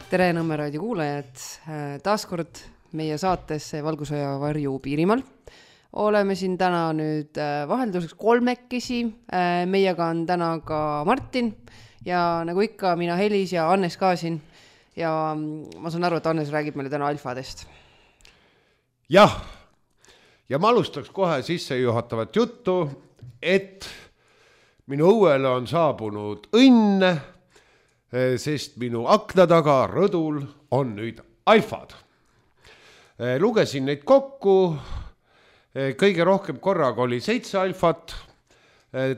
Tere Nõmme raadio kuulajad, taaskord meie saatesse Valgusõja varju Piirimaal. Oleme siin täna nüüd vahelduseks kolmekesi, meiega on täna ka Martin ja nagu ikka mina Helis ja Annes ka siin ja ma saan aru, et Annes räägib meile täna alfadest. Jah, ja ma alustaks kohe sissejuhatavat juttu, et minu õuele on saabunud õnn, sest minu akna taga rõdul on nüüd alfad. Lugesin neid kokku, kõige rohkem korraga oli 7 alfat,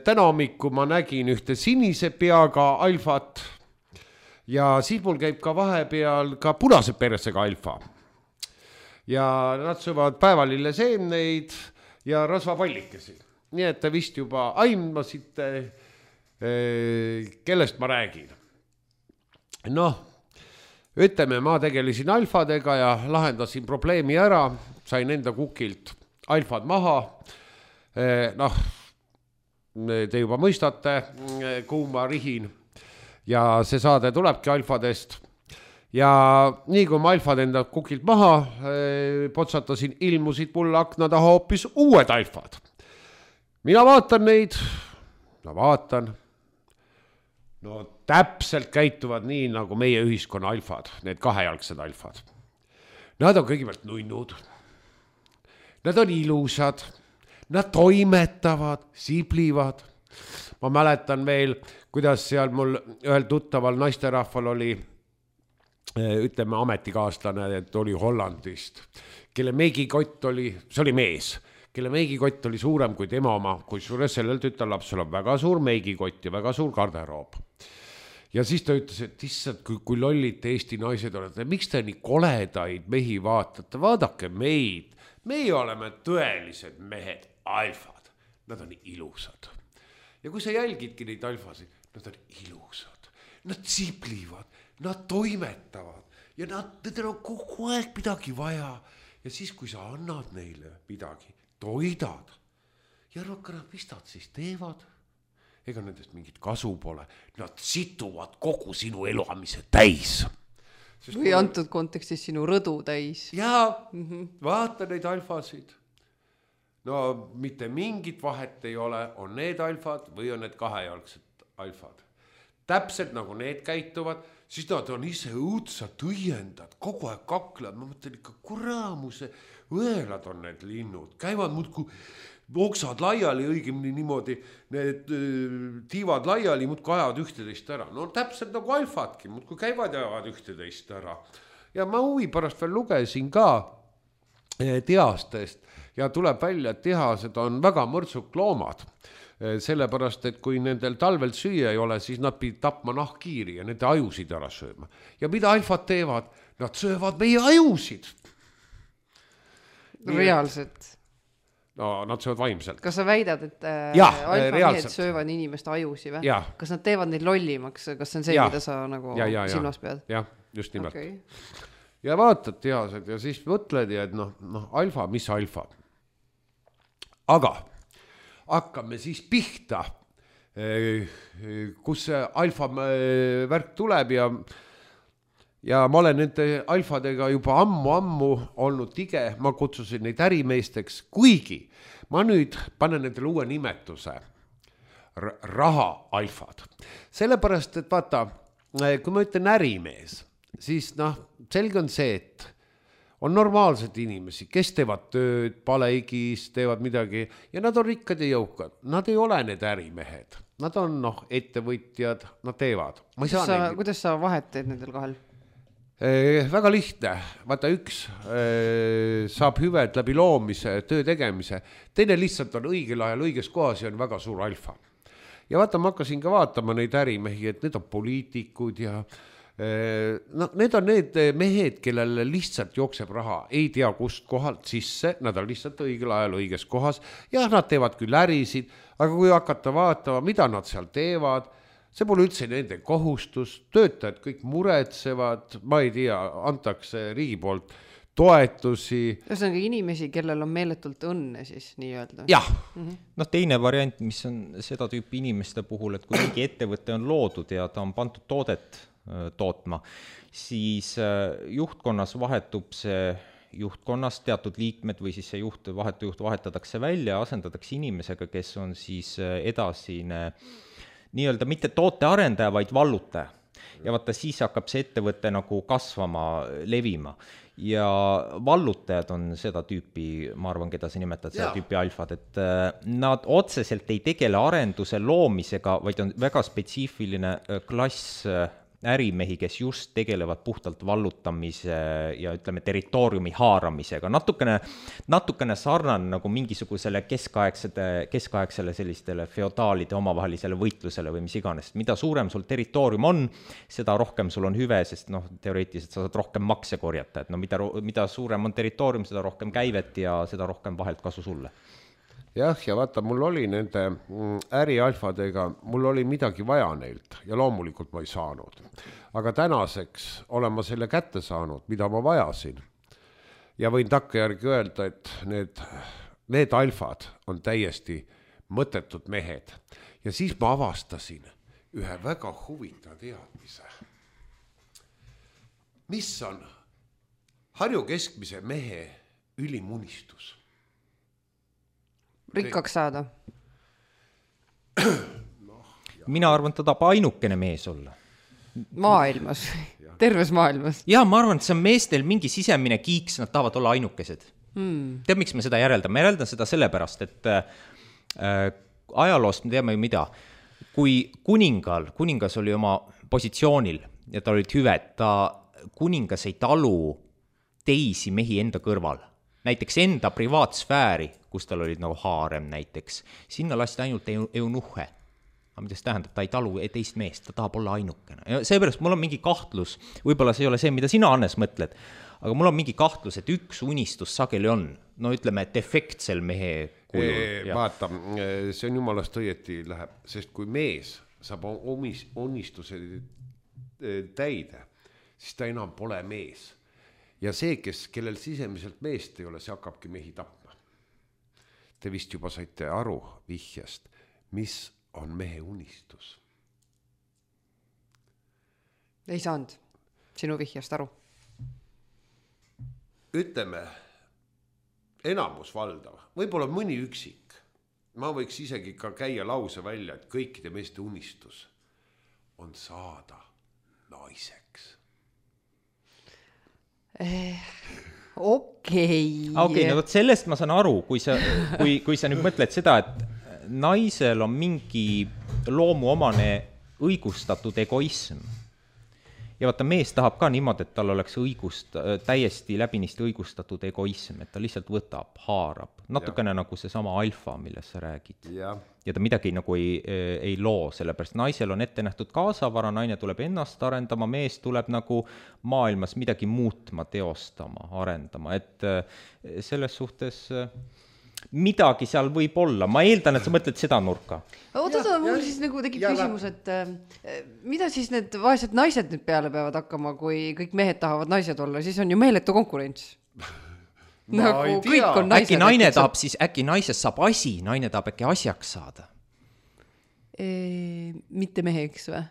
täna hommiku ma nägin ühte sinise peaga alfat ja siis mul käib ka vahepeal ka punase persega alfa. Ja nad söövad päevalille seemneid ja rasvapallikesi. Nii et te vist juba aimasite, kellest ma räägin. Noh, ütleme, ma tegelesin alfadega ja lahendasin probleemi ära, sain enda kukilt alfad maha. Noh, te juba mõistate, kuhu ma rihin ja see saade tulebki alfadest. Ja nii kui ma alfad enda kukilt maha potsatasin, ilmusid mulle akna taha hoopis uued alfad. Mina vaatan neid, no täpselt käituvad nii nagu meie ühiskonna alfad, need kahejalgsed alfad. Nad on kõigepealt nunnud, nad on ilusad, nad toimetavad, siblivad. Ma mäletan veel, kuidas seal mul ühel tuttaval naisterahval oli, ütleme ametikaaslane, et oli Hollandist, kelle meigikott oli, see oli mees, kelle meigikott oli suurem kui tema oma, kui suures sellel tütarlapsel on väga suur meigikott ja väga suur garderoob. Ja siis ta ütles, et issand, kui lollid Eesti naised olete, miks te nii koledaid mehi vaatate, vaadake meid, meie oleme tõelised mehed, alfad, nad on ilusad. Ja kui sa jälgidki neid alfasid, nad on ilusad, nad siblivad, nad toimetavad ja nendel on kogu aeg midagi vaja. Ja siis, kui sa annad neile midagi, toidad ja rohkem mis nad siis teevad? Ega nendest mingit kasu pole. Nad situvad kogu sinu elamise täis. Või antud kontekstis sinu rõdu täis. Jaa, vaata neid alfasid. No mitte mingit vahet ei ole, on need alfad või on need kahejalgsed alfad. Täpselt nagu need käituvad, siis nad on ise õudsad õiendad, kogu aeg kaklad. Ma mõtlen ikka kuramuse, õelad on need linnud, käivad muudku oksad laiali, õigemini niimoodi, need tiivad laiali, muudku ajavad ühteteist ära. No täpselt nagu alfadki, muudku käivad ja ajavad ühteteist ära. Ja ma huvi pärast veel lugesin ka tehastest ja tuleb välja, et tehased on väga mõrtsuk loomad. Sellepärast, et kui nendel talvel süüa ei ole, siis nad pidid tapma nahkhiiri ja nende ajusid ära sööma. Ja mida alfad teevad? Nad söövad meie ajusid. Reaalselt. No, nad söövad vaimselt. Kas sa väidad, et alfamehed söövad inimeste ajusi või? Ja. Kas nad teevad neid lollimaks? Kas see on see, mida sa nagu silmas pead? Jah, just nimelt. Okay. Ja vaatad tehased ja siis mõtled, et alfa, mis alfa? Aga hakkame siis pihta, kus see alfa värk tuleb ja ma olen nende alfadega juba ammu olnud tige, ma kutsusin neid ärimeesteks, kuigi ma nüüd panen nendele uue nimetuse, raha alfad. Sellepärast, et vaata, kui ma ütlen ärimees, siis selge on see, et on normaalsed inimesi, kes teevad tööd, paleigis, teevad midagi ja nad on rikkad ja jõukad. Nad ei ole need ärimehed. Nad on ettevõtjad, nad teevad. Kuidas sa vahet teed nendel kahel? Väga lihtne. Vaata, üks saab hüved läbi loomise, töö tegemise. Teine lihtsalt on õigel ajal õiges kohas ja on väga suur alfa. Ja vaata, ma hakkasin ka vaatama neid ärimehi, et need on poliitikud ja need on need mehed, kellel lihtsalt jookseb raha, ei tea kust kohalt sisse, nad on lihtsalt õigel ajal õiges kohas ja nad teevad küll ärisid, aga kui hakata vaatama, mida nad seal teevad, see pole üldse nende kohustus, töötajad kõik muretsevad, ma ei tea, antakse riigi poolt toetusi. Ühesõnaga inimesi, kellel on meeletult õnne siis nii-öelda. Jah. Teine variant, mis on seda tüüpi inimeste puhul, et kui mingi ettevõte on loodud ja ta on pandud toodet tootma, siis juhtkonnas vahetub see juhtkonnas teatud liikmed või siis see vahetu juht vahetatakse välja ja asendatakse inimesega, kes on siis edasine nii-öelda mitte tootearendaja, vaid vallutaja. Ja vaata, siis hakkab see ettevõte nagu kasvama, levima. Ja vallutajad on seda tüüpi, ma arvan, keda sa nimetad, seda tüüpi alfad, et nad otseselt ei tegele arenduse loomisega, vaid on väga spetsiifiline klass ärimehi, kes just tegelevad puhtalt vallutamise ja ütleme territooriumi haaramisega. Natukene sarnane nagu mingisugusele keskaegsele sellistele feodaalide omavahelisele võitlusele või mis iganes. Mida suurem sul territoorium on, seda rohkem sul on hüve, sest teoreetiliselt sa saad rohkem makse korjata. Et mida suurem on territoorium, seda rohkem käivet ja seda rohkem vahelt kasu sulle. Jah, ja vaata, mul oli nende ärialfadega, mul oli midagi vaja neilt ja loomulikult ma ei saanud. Aga tänaseks olen ma selle kätte saanud, mida ma vajasin. Ja võin takkajärgi öelda, et need alfad on täiesti mõttetud mehed. Ja siis ma avastasin ühe väga huvitava teadmise. Mis on Harju keskmise mehe ülimunistus? Rikkaks saada. Mina arvan, ta tahab ainukene mees olla. Maailmas, terves maailmas. Ja ma arvan, et see on meestel mingi sisemine kiiks, nad tahavad olla ainukesed. Tead, miks me seda järeldan? Me järeldan seda sellepärast, et ajaloost me teame ju mida. Kui kuningas oli oma positsioonil ja ta olid hüved, kuningas ei talu teisi mehi enda kõrval. Näiteks enda privaatsfääri, kus tal olid nagu haarem näiteks, sinna lasti ainult eunuhe. Aga mida see tähendab, ta ei talu teist meest, ta tahab olla ainukene. Ja seepärast mul on mingi kahtlus, võib-olla see ei ole see, mida sina, Hannes, mõtled, aga mul on mingi kahtlus, et üks unistus sageli on, no ütleme, defektsel mehe kujul. Vaata, see on jumalast õieti läheb, sest kui mees saab unistuse täide, siis ta enam pole mees. Ja see, kellel sisemiselt meest ei ole, see hakkabki mehi tapma. Te vist juba saite aru vihjast, mis on mehe unistus? Ei saanud sinu vihjast aru. Ütleme, enamus valdav, võib-olla mõni üksik. Ma võiks isegi ka käia lause välja, et kõikide meeste unistus on saada naiseks. Okei, no võt sellest ma saan aru, kui sa nüüd mõtled seda, et naisel on mingi loomuomane õigustatud egoism. Ja vaata, mees tahab ka niimoodi, et tal oleks täiesti läbinisti õigustatud egoism, et ta lihtsalt võtab, haarab. Natukene nagu see sama alfa, millest sa räägid. Ja ta midagi nagu ei loo, sellepärast naisel on ette nähtud kaasavara, naine tuleb ennast arendama, mees tuleb nagu maailmas midagi muutma, teostama, arendama. Et selles suhtes midagi seal võib olla. Ma eeldan, et sa mõtled seda nurka. Oota, mul siis nagu tekib küsimus, et mida siis need vaesed naised nüüd peale peavad hakkama, kui kõik mehed tahavad naised olla, siis on ju meeletu konkurents. Nagu kõik on naised. Äkki naisest saab asi, naine tahab äkki asjaks saada. Mitte meheks või?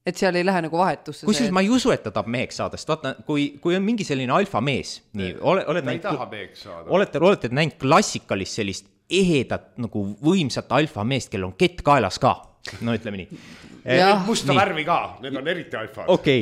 Et seal ei lähe nagu vahetusse. Kusjuures ma ei usu, et ta tahab meheks saada, sest vaata, kui on mingi selline alfa mees, nii, olete näinud klassikalist sellist ehedat, nagu võimsat alfa meest, kel on kett kaelas ka, no ütleme nii. Musta värvi ka, need on eriti alfad. Okei,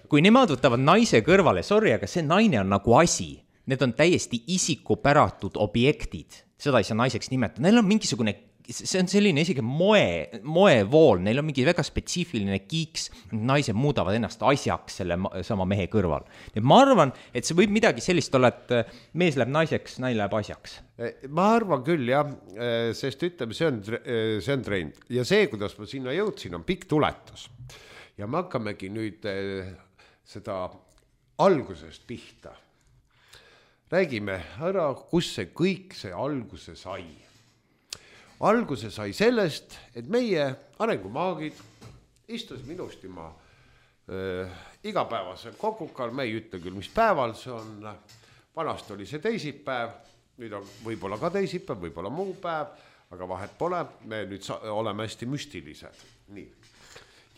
kui nemad võtavad naise kõrvale, sorry, aga see naine on nagu asi, need on täiesti isikupäratud objektid, seda ei saa naiseks nimetada, neil on mingisugune see on selline isegi moevool, neil on mingi väga spetsiifiline kiiks, naised muudavad ennast asjaks selle sama mehe kõrval. Et ma arvan, et see võib midagi sellist olla, et mees läheb naiseks, naine läheb asjaks. Ma arvan küll, jah, sest ütleme, see on trend. Ja see, kuidas ma sinna jõudsin, on pikk tuletus. Ja me hakkamegi nüüd seda algusest pihta. Räägime ära, kus see kõik see alguse sai. Alguse sai sellest, et meie arengumaagid istusime ilusti ma igapäevasel kokukal, me ei ütle küll, mis päeval see on, vanast oli see teisipäev, nüüd on võib-olla ka teisipäev, võib-olla muu päev, aga vahet pole, me nüüd oleme hästi müstilised. Nii.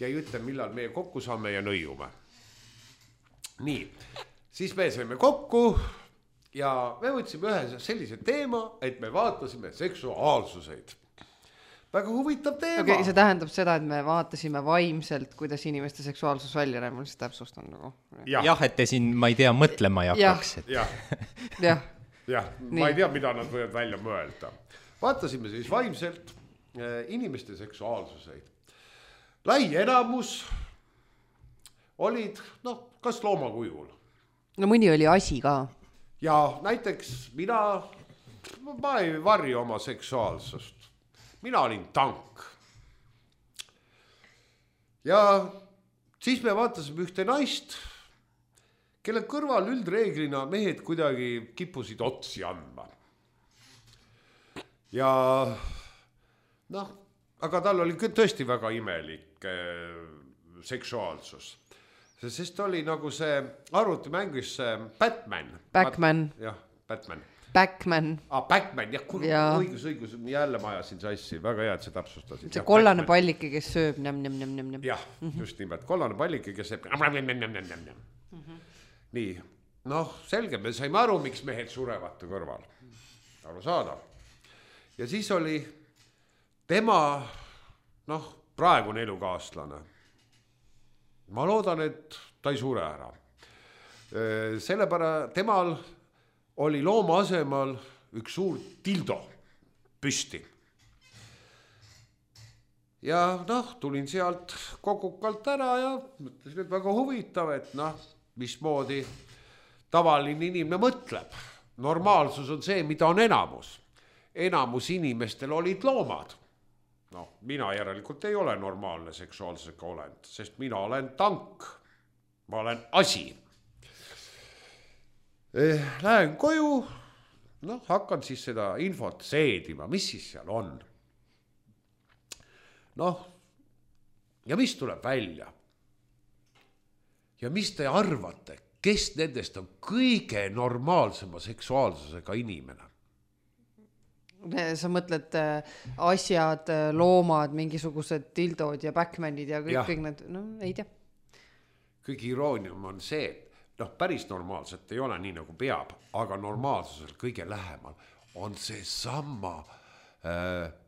ja ei ütle, millal meie kokku saame ja nõiume. Nii, siis me saime kokku ja me võtsime ühe sellise teema, et me vaatasime seksuaalsuseid. Väga huvitav teema. Okei, see tähendab seda, et me vaatasime vaimselt, kuidas inimeste seksuaalsus välja näeb, ma lihtsalt täpsustan nagu. Jah, et te siin, ma ei tea, mõtlema ei hakkaks. Jah, ma ei tea, mida nad võivad välja mõelda. Vaatasime siis vaimselt inimeste seksuaalsuseid. Lai enamus olid, kas loomakujul. No mõni oli asi ka. Ja näiteks ma ei varri oma seksuaalsust. Mina olin tank. Ja siis me vaatasime ühte naist, kelle kõrval üldreeglina mehed kuidagi kippusid otsi andma. Ja aga tal oli tõesti väga imelik seksuaalsus. Sest oli nagu see arvutimängis Batman. Backman. Jah, Batman. Backman. Backman, õigus, jälle ma ajasin sassi, väga hea, et see täpsustasid. See kollane pallike, kes sööb näm. Jah, just nimelt, kollane pallike, kes sööb näm. Nii, selge, me saime aru, miks mehed surevad kõrval. Aru saada. Ja siis oli tema, praegune elukaaslane. Ma loodan, et ta ei sure ära. Sellepärast temal oli looma asemal üks suur dildo püsti. Ja tulin sealt kokukalt ära ja mõtlesin, et väga huvitav, et mismoodi tavaline inimene mõtleb. Normaalsus on see, mida on enamus. Enamus inimestel olid loomad. Mina järelikult ei ole normaalne seksuaalsega olend, sest mina olen tank. Ma olen asi. Lähen koju, hakkan siis seda infot seedima, mis siis seal on. Ja mis tuleb välja? Ja mis te arvate, kes nendest on kõige normaalsema seksuaalsusega inimene? Sa mõtled asjad, loomad, mingisugused dildod ja backmanid ja kõik need, ei tea. Kõige iroonium on see, päris normaalselt ei ole nii nagu peab, aga normaalsusel kõige lähemal on see sama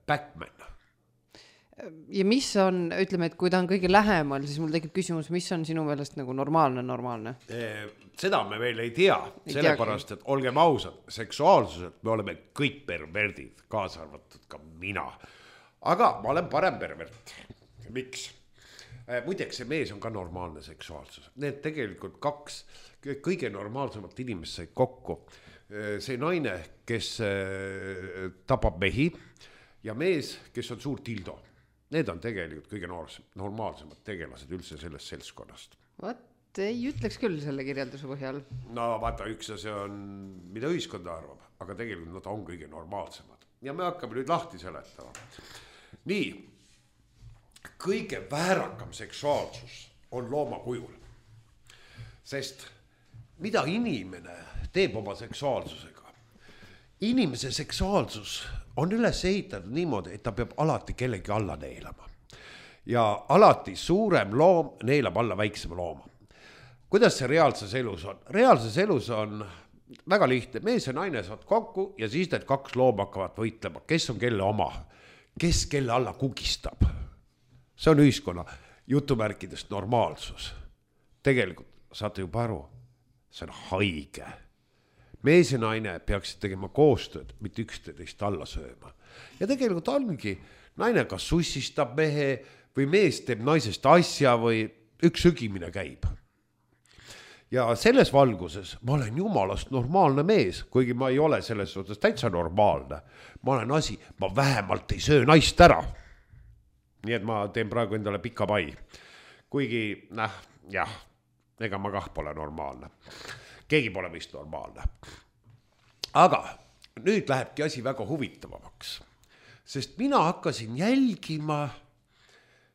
Backman. Ja mis on, ütleme, et kui ta on kõige lähemal, siis mul tekib küsimus, mis on sinu meelest nagu normaalne? Seda me veel ei tea, sellepärast, et olgem ausad, seksuaalsuselt me oleme kõik perverdid, kaasa arvatud ka mina. Aga ma olen parem pervert. Miks? Muideks see mees on ka normaalne seksuaalsus. Need tegelikult kaks kõige normaalsemat inimest said kokku. See naine, kes tapab mehi ja mees, kes on suur dildo. Need on tegelikult kõige normaalsemad tegelased üldse sellest seltskonnast. Vaat ei ütleks küll selle kirjelduse põhjal. Vaata, üks see on, mida ühiskonda arvab, aga tegelikult nad on kõige normaalsemad. Ja me hakkame nüüd lahti seletama. Nii. Kõige väärakam seksuaalsus on looma kujul. Sest mida inimene teeb oma seksuaalsusega? Inimese seksuaalsus on üles ehitatud niimoodi, et ta peab alati kellegi alla neelama. Ja alati suurem loom neelab alla väiksema looma. Kuidas see reaalses elus on? Reaalses elus on väga lihtne. Mees ja naine saad kokku ja siis need kaks looma hakkavad võitlema. Kes on kelle oma? Kes kelle alla kugistab? See on ühiskonna jutumärkidest normaalsus. Tegelikult saate juba aru, see on haige. Mees ja naine peaksid tegema koostööd, mitte üksteist alla sööma. Ja tegelikult ongi, naine kas sussistab mehe või mees teeb naisest asja või üks sügimine käib. Ja selles valguses ma olen jumalast normaalne mees, kuigi ma ei ole selles suhtes täitsa normaalne. Ma olen asi, ma vähemalt ei söö naist ära. Nii et ma teen praegu endale pika pai. Kuigi, ega ma kah pole normaalne. Keegi pole vist normaalne. Aga nüüd lähebki asi väga huvitavamaks. Sest mina hakkasin jälgima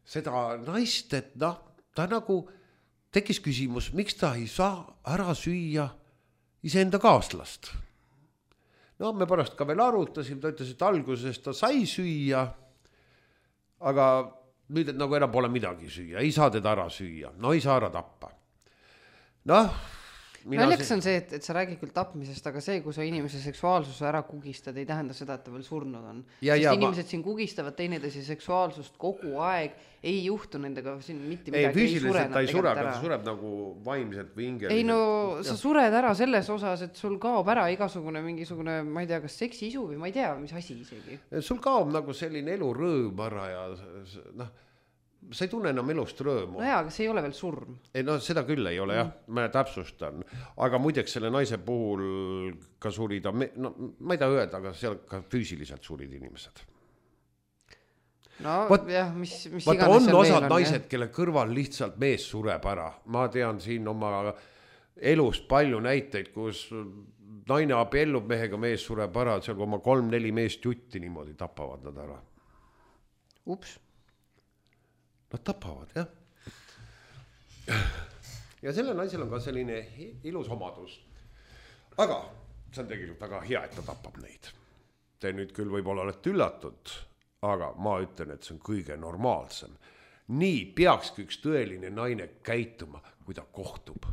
seda naist, et ta nagu tekkis küsimus, miks ta ei saa ära süüa iseenda kaaslast. Me pärast ka veel arutasime, ta ütles, et alguses ta sai süüa, aga nüüd, et nagu enam pole midagi süüa, ei saa teda ära süüa, no ei saa ära tappa. Noh, Naljakas on see, et sa räägid küll tapmisest, aga see, kui sa inimese seksuaalsuse ära kugistad, ei tähenda seda, et ta veel surnud on. Sest inimesed siin kugistavad teineteise seksuaalsust kogu aeg, ei juhtu nendega siin mitte midagi. Ei, füüsiliselt ta ei sure, aga ta sureb nagu vaimselt või hingeliselt. Ei no, sa sured ära selles osas, et sul kaob ära mingisugune, ma ei tea, kas seksiisu või ma ei tea, mis asi isegi. Sul kaob nagu selline elurõõm ära ja noh, sa ei tunne enam elust rõõmu. No jaa, aga see ei ole veel surm. Ei no seda küll ei ole jah, ma täpsustan. Aga muideks selle naise puhul ka surida, no ma ei taha öelda, aga seal ka füüsiliselt surid inimesed. No jah, mis vaata, on osad naised, kelle kõrval lihtsalt mees sureb ära. Ma tean siin oma elust palju näiteid, kus naine abiellub mehega, mees sureb ära, seal oma 3-4 meest jutti niimoodi tapavad nad ära. Ups. Nad tapavad, jah. Ja selle naisel on ka selline ilus omadus. Aga see on tegelikult väga hea, et ta tapab neid. Te nüüd küll võib-olla olete üllatud, aga ma ütlen, et see on kõige normaalsem. Nii peakski üks tõeline naine käituma, kui ta kohtub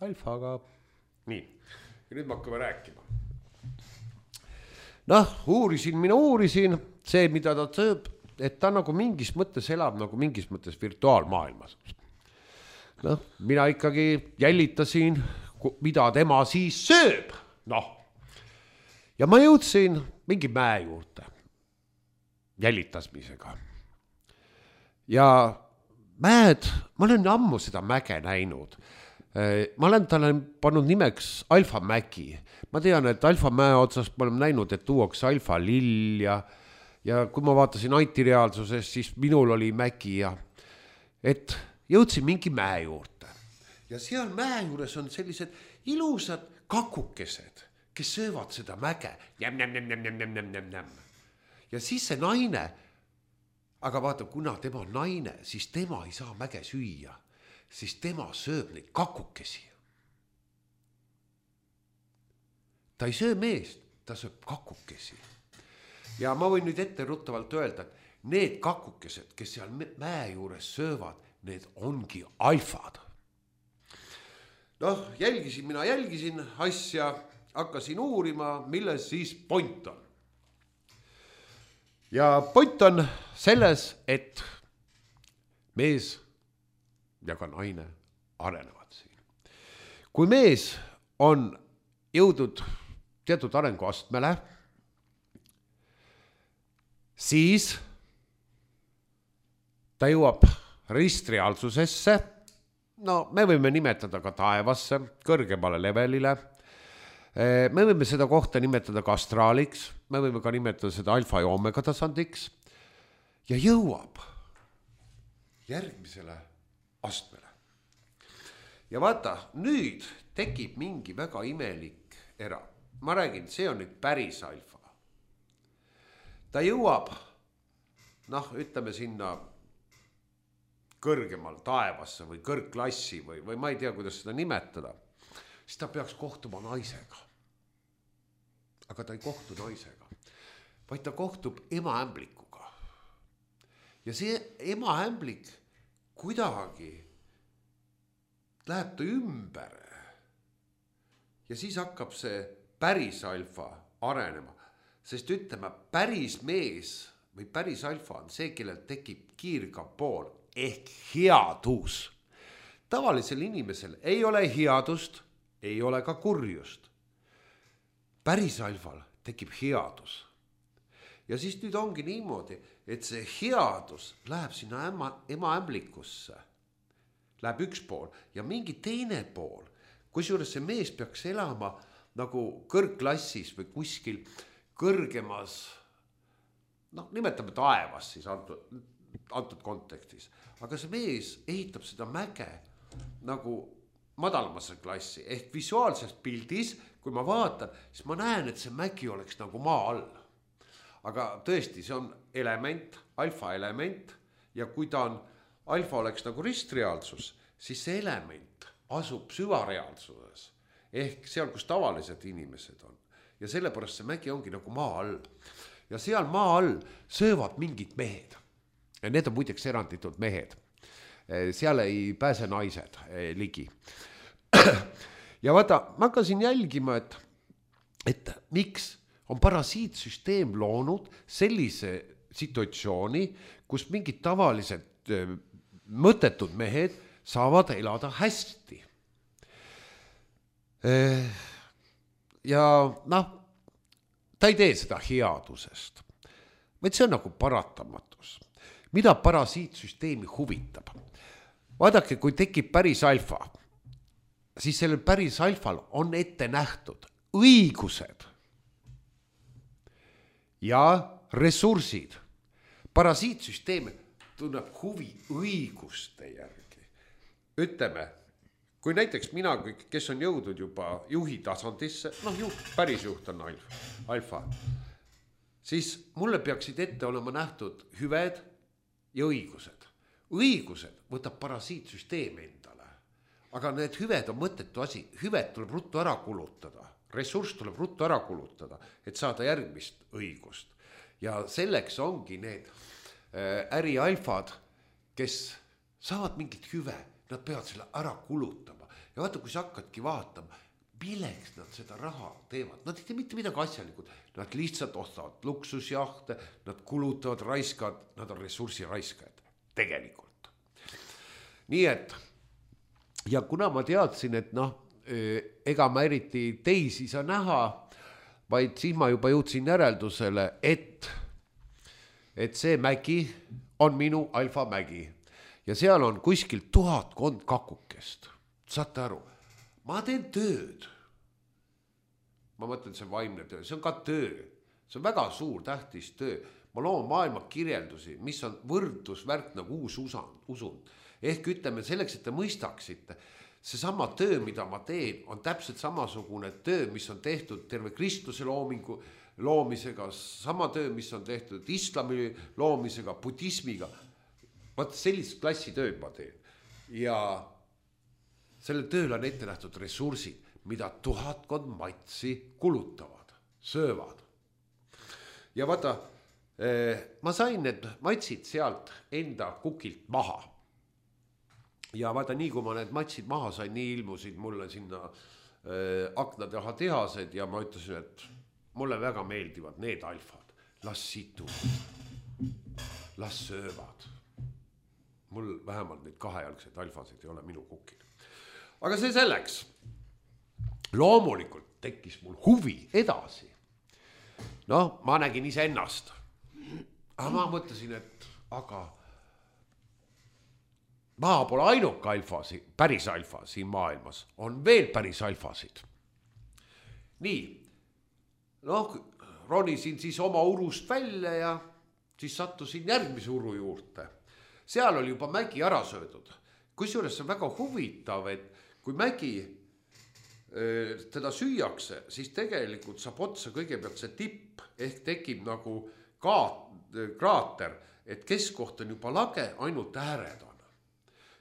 alfaga. Nii, ja nüüd me hakkame rääkima. Noh, mina uurisin see, mida ta sööb, et ta nagu mingis mõttes elab nagu mingis mõttes virtuaalmaailmas. Noh, mina ikkagi jälitasin, mida tema siis sööb. Noh, ja ma jõudsin mingi mäe juurde jälitasmisega. Ja mäed, ma olen ammu seda mäge näinud. Ma olen talle pannud nimeks Alfa Mägi. Ma tean, et Alfa mäe otsas ma olen näinud, et tuuakse Alfa lill ja kui ma vaatasin antireaalsusest, siis minul oli mägi ja et jõudsin mingi mäe juurde. Ja seal mäe juures on sellised ilusad kakukesed, kes söövad seda mäge. Ja siis see naine, aga vaata, kuna tema on naine, siis tema ei saa mäge süüa, siis tema sööb neid kakukesi. Ta ei söö meest, ta sööb kakukesi. Ja ma võin nüüd ette ruttavalt öelda, et need kakukesed, kes seal mäe juures söövad, need ongi alfad. Noh, mina jälgisin asja, hakkasin uurima, milles siis point on. Ja point on selles, et mees ja ka naine arenevad siin. Kui mees on jõudnud teatud arenguastmele, siis ta jõuab ristreaalsusesse, no me võime nimetada ka taevasse, kõrgemale levelile, me võime seda kohta nimetada ka astraaliks, me võime ka nimetada seda alfa ja omega tasandiks ja jõuab järgmisele astmele. Ja vaata, nüüd tekib mingi väga imelik era. Ma räägin, see on nüüd päris alfa. Ta jõuab, noh, ütleme sinna kõrgemal taevasse või kõrgklassi või ma ei tea, kuidas seda nimetada, siis ta peaks kohtuma naisega. Aga ta ei kohtu naisega, vaid ta kohtub emaämblikuga. Ja see emaämblik kuidagi läheb ta ümber ja siis hakkab see päris alfa arenema. Sest ütleme, päris mees või päris alfa on see, kellel tekib kiirgav pool ehk headus. Tavalisel inimesel ei ole headust, ei ole ka kurjust. Päris alfal tekib headus. Ja siis nüüd ongi niimoodi, et see headus läheb sinna emaämblikusse. Läheb üks pool ja mingi teine pool, kusjuures see mees peaks elama nagu kõrgklassis või kuskil kõrgemas, noh, nimetame taevas siis antud kontekstis. Aga see mees ehitab seda mäge nagu madalamasse klassi. Ehk visuaalses pildis, kui ma vaatan, siis ma näen, et see mägi oleks nagu maa all. Aga tõesti, see on element, alfa element. Ja kui ta on, alfa oleks nagu ristreaalsus, siis see element asub süvareaalsuses. Ehk seal, kus tavalised inimesed on. Ja sellepärast see mägi ongi nagu maa all. Ja seal maa all söövad mingid mehed. ja need on muideks eranditult mehed. Seal ei pääse naised ligi. Ja vaata, ma hakkasin jälgima, et miks on parasiitsüsteem loonud sellise situatsiooni, kus mingid tavalised mõttetud mehed saavad elada hästi. Ja noh, ta ei tee seda headusest, vaid see on nagu paratamatus. Mida parasiitsüsteemi huvitab? Vaadake, kui tekib päris alfa, siis sellel päris alfal on ette nähtud õigused ja ressursid. Parasiitsüsteem tunneb huvi õiguste järgi. Ütleme, kui näiteks mina, kes on jõudnud juba juhi tasandisse, päris juht on alfa, siis mulle peaksid ette olema nähtud hüved ja õigused. Õigused võtab parasiitsüsteem endale, aga need hüved on mõttetu asi. Hüved tuleb ruttu ära kulutada, ressurss tuleb ruttu ära kulutada, et saada järgmist õigust. Ja selleks ongi need ärialfad, kes saavad mingit hüve, nad peavad selle ära kulutama. Ja vaata, kui sa hakkadki vaatama, milleks nad seda raha teevad. Nad ei tee mitte midagi asjalikud. Nad lihtsalt ostavad luksusjahte, nad kulutavad, raiskavad, nad on ressursi raiskajad tegelikult. Nii et, ja kuna ma teadsin, et ega ma eriti teisi saa näha, vaid siis ma juba jõudsin järeldusele, et see mägi on minu alfa mägi. Ja seal on kuskil 1000 kakukest. Saate aru, ma teen tööd. Ma mõtlen, see vaimne töö, see on ka töö. See on väga suur tähtis töö. Ma loon maailma kirjeldusi, mis on võrdlusvärk nagu uus usund. Ehk ütleme selleks, et te mõistaksite, see sama töö, mida ma teen, on täpselt samasugune töö, mis on tehtud terve Kristuse loomisega, sama töö, mis on tehtud islami loomisega, budismiga. Vaat sellist klassi tööd ma teen. Ja selle tööl on ette nähtud ressursid, mida 1000 matsi kulutavad, söövad. Ja vaata, ma sain need matsid sealt enda kukilt maha. Ja vaata, nii kui ma need matsid maha sain, nii ilmusid mulle sinna akna taha tehased ja ma ütlesin, et mulle väga meeldivad need alfad. Las situvad, las söövad. Mul vähemalt neid kahejalgseid alfasid ei ole minu kukil. Aga see selleks. Loomulikult tekkis mul huvi edasi. Ma nägin ise ennast. Aga ma mõtlesin, et ma pole ainuke alfasi, päris alfa siin maailmas. On veel päris alfasid. Nii, ronisin siis oma urust välja ja siis sattusin järgmise uru juurde. Seal oli juba mägi ära söödud. Kusjuures see on väga huvitav, et kui mägi teda süüakse, siis tegelikult saab otsa kõigepealt see tipp, ehk tekib nagu kraater, et keskkoht on juba lage, ainult ääred on.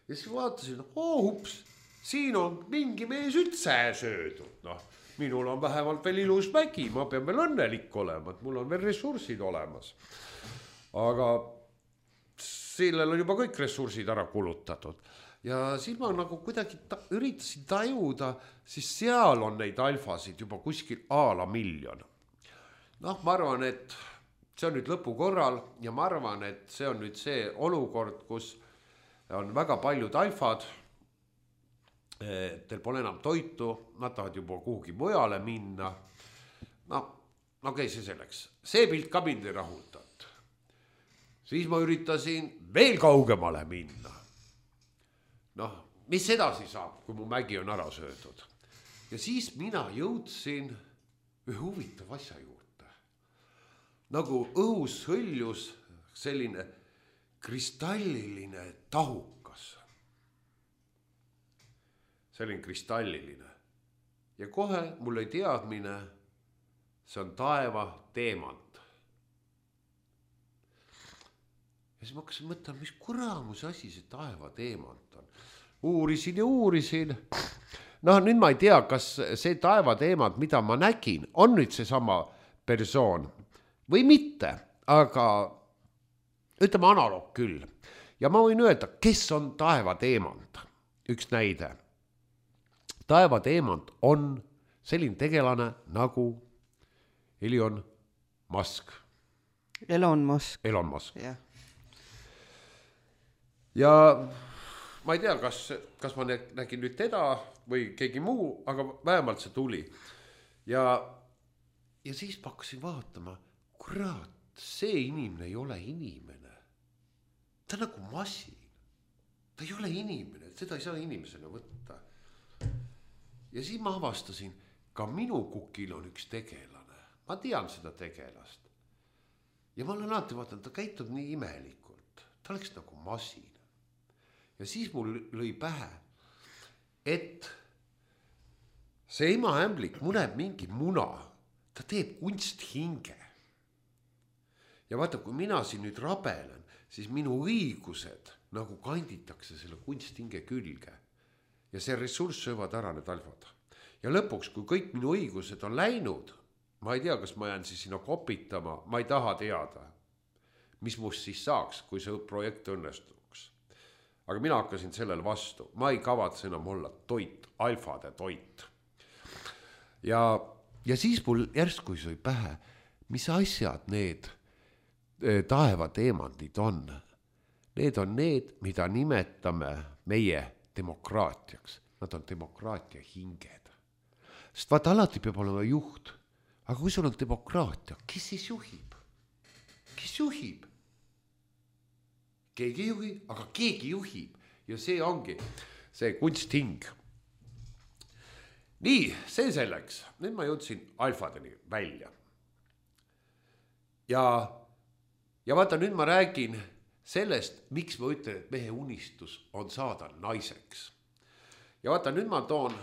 Ja siis vaatasin, ups, siin on mingi mees üldse söödud. Minul on vähemalt veel ilus mägi, ma pean veel õnnelik olema, et mul on veel ressursid olemas. Aga sellel on juba kõik ressursid ära kulutatud. Ja siis ma nagu kuidagi üritasin tajuda, siis seal on neid alfasid juba kuskil aala 1 miljon. Ma arvan, et see on nüüd lõpu korral ja ma arvan, et see on nüüd see olukord, kus on väga paljud alfad, teil pole enam toitu, nad tahavad juba kuhugi mujale minna. Okei, see selleks. See pilt ka mind ei rahuldanud. Siis ma üritasin veel kaugemale minna. Mis edasi saab, kui mu mägi on ära söödud? Ja siis mina jõudsin ühe huvitav asja juurde. Nagu õhus hõljus selline kristalliline tahukas. Selline kristalliline. Ja kohe mul ei teadmine, see on taeva teemant. Ja siis ma hakkasin mõtlema, mis kuramus asi see taeva teemant on. Uurisin ja uurisin. Nüüd ma ei tea, kas see taeva teemant, mida ma nägin, on nüüd see sama persoon või mitte, aga ütleme analoog küll. Ja ma võin öelda, kes on taevateemant. Üks näide. Taevateemant on selline tegelane nagu Elon Musk. Elon Musk. Elon Musk. jah. Ja ma ei tea, kas ma nägin nüüd teda või keegi muu, aga vähemalt see tuli. Ja siis ma hakkasin vaatama, kurat, see inimene ei ole inimene. Ta on nagu masin. Ta ei ole inimene, seda ei saa inimesena võtta. Ja siis ma avastasin, ka minu kukil on üks tegelane. Ma tean seda tegelast. Ja ma olen alati vaadanud, ta käitub nii imelikult. Ta oleks nagu masin. Ja siis mul lõi pähe, et see emaämblik muneb mingi muna. Ta teeb kunsthinge. Ja vaata, kui mina siin nüüd rabelen, siis minu õigused nagu kanditakse selle kunsthinge külge. Ja see ressurss söövad ära need alfad. Ja lõpuks, kui kõik minu õigused on läinud, ma ei tea, kas ma jään siis sinna kopitama, ma ei taha teada, mis must siis saaks, kui see projekt õnnestuks. Aga mina hakkasin sellele vastu. Ma ei kavatse enam olla toit, alfade toit. Ja siis mul järsku sõi pähe, mis asjad need taevateemandid on. Need on need, mida nimetame meie demokraatiaks. Nad on demokraatia hinged. Sest vaata, alati peab olema juht. Aga kui sul on demokraatia, kes siis juhib? Kes juhib? Keegi ei juhi, aga keegi juhib. Ja see ongi see kunsthing. Nii, see selleks. Nüüd ma jõudsin alfadeni välja. Ja vaata, nüüd ma räägin sellest, miks ma ütlen, et mehe unistus on saada naiseks. Ja vaata, nüüd ma toon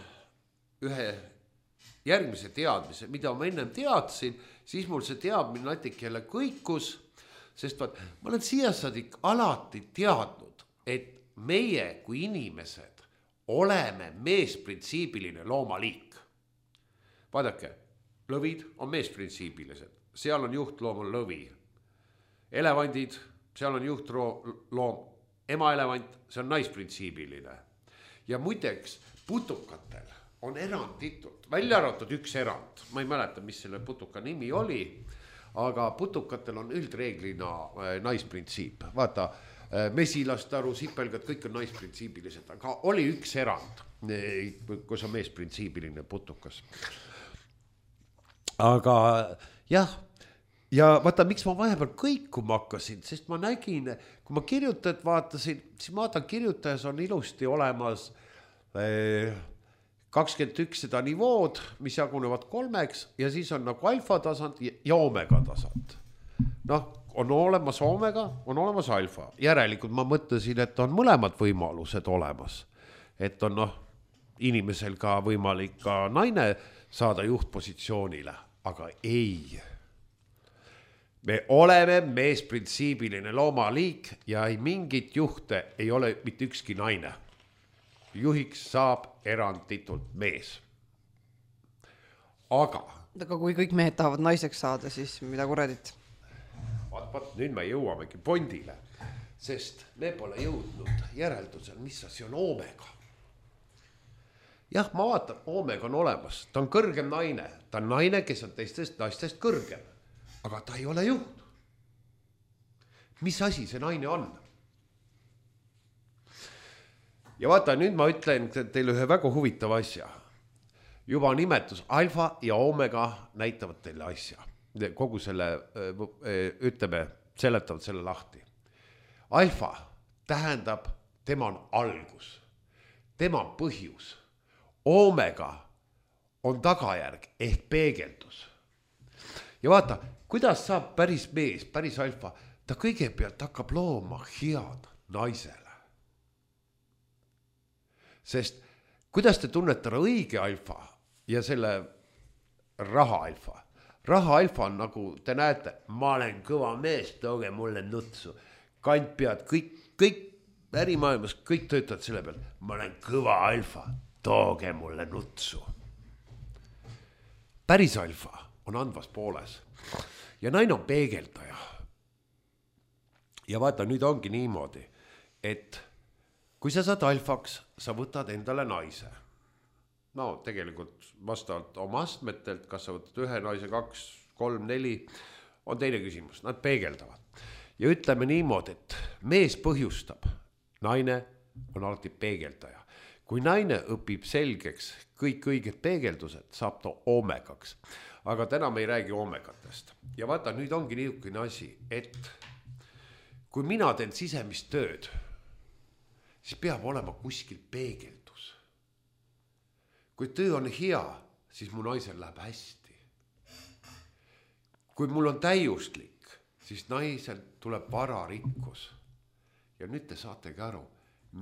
ühe järgmise teadmise, mida ma ennem teadsin, siis mul see teadmine natuke jälle kõikus, sest vaat, ma olen siiasaadik alati teadnud, et meie kui inimesed oleme meesprintsiibiline loomaliik. Vaadake, lõvid on meesprintsiibilised, seal on juhtloom on lõvi. Elevandid, seal on juhtloom, emaelevant, see on naisprintsiibiline. Ja muideks, putukatel on eranditult, välja arvatud üks erand, ma ei mäleta, mis selle putuka nimi oli, aga putukatel on üldreeglina naisprintsiip. Vaata, mesilastaru, sipelgad, kõik on naisprintsiibilised, aga oli üks erand, kus on meesprintsiibiline putukas. Aga jah, ja vaata, miks ma vahepeal kõikuma hakkasin, sest ma nägin, kui ma kirjutajat vaatasin, siis ma vaatan, kirjutajas on ilusti olemas 21 seda nivood, mis jagunevad 3 ja siis on nagu alfa tasand ja omega tasand. Noh, on olemas omega, on olemas alfa. Järelikult ma mõtlesin, et on mõlemad võimalused olemas. Et on inimesel ka võimalik ka naine saada juhtpositsioonile, aga ei. Me oleme meesprintsiibiline loomaliik ja ei mingit juhte ei ole mitte ükski naine. Juhiks saab eranditult mees. Aga kui kõik mehed tahavad naiseks saada, siis mida kuradit? Vaat, nüüd me jõuamegi pondile, sest me pole jõudnud järeldusel, mis asi on omega. Jah, ma vaatan, omega on olemas, ta on kõrgem naine, ta on naine, kes on teistest naistest kõrgem, aga ta ei ole juht. Mis asi see naine on? Ja vaata, nüüd ma ütlen teile ühe väga huvitava asja. Juba nimetus alfa ja omega näitavad teile asja. Kogu selle, ütleme, seletavad selle lahti. Alfa tähendab, tema on algus. Tema on põhjus. Omega on tagajärg ehk peegeldus. Ja vaata, kuidas saab päris mees, päris alfa, ta kõigepealt hakkab looma head naisele. Sest kuidas te tunnete õige alfa ja selle raha alfa? Raha alfa on nagu te näete, ma olen kõva mees, tooge mulle nutsu. Kantpead, kõik ärimaailmas, kõik töötavad selle peal. Ma olen kõva alfa, tooge mulle nutsu. Päris alfa on andvas pooles ja naine on peegeldaja. ja vaata, nüüd ongi niimoodi, et kui sa saad alfaks, sa võtad endale naise. No tegelikult vastavalt oma astmetelt, kas sa võtad ühe naise, 2, 3, 4, on teine küsimus, nad peegeldavad. Ja ütleme niimoodi, et mees põhjustab, naine on alati peegeldaja. Kui naine õpib selgeks kõik õiged peegeldused, saab ta oomegaks. Aga täna me ei räägi oomegatest. Ja vaata, nüüd ongi niisugune asi, et kui mina teen sisemist tööd, siis peab olema kuskil peegeldus. Kui töö on hea, siis mu naisel läheb hästi. Kui mul on täiuslik, siis naisel tuleb vararikkus. Ja nüüd te saategi aru,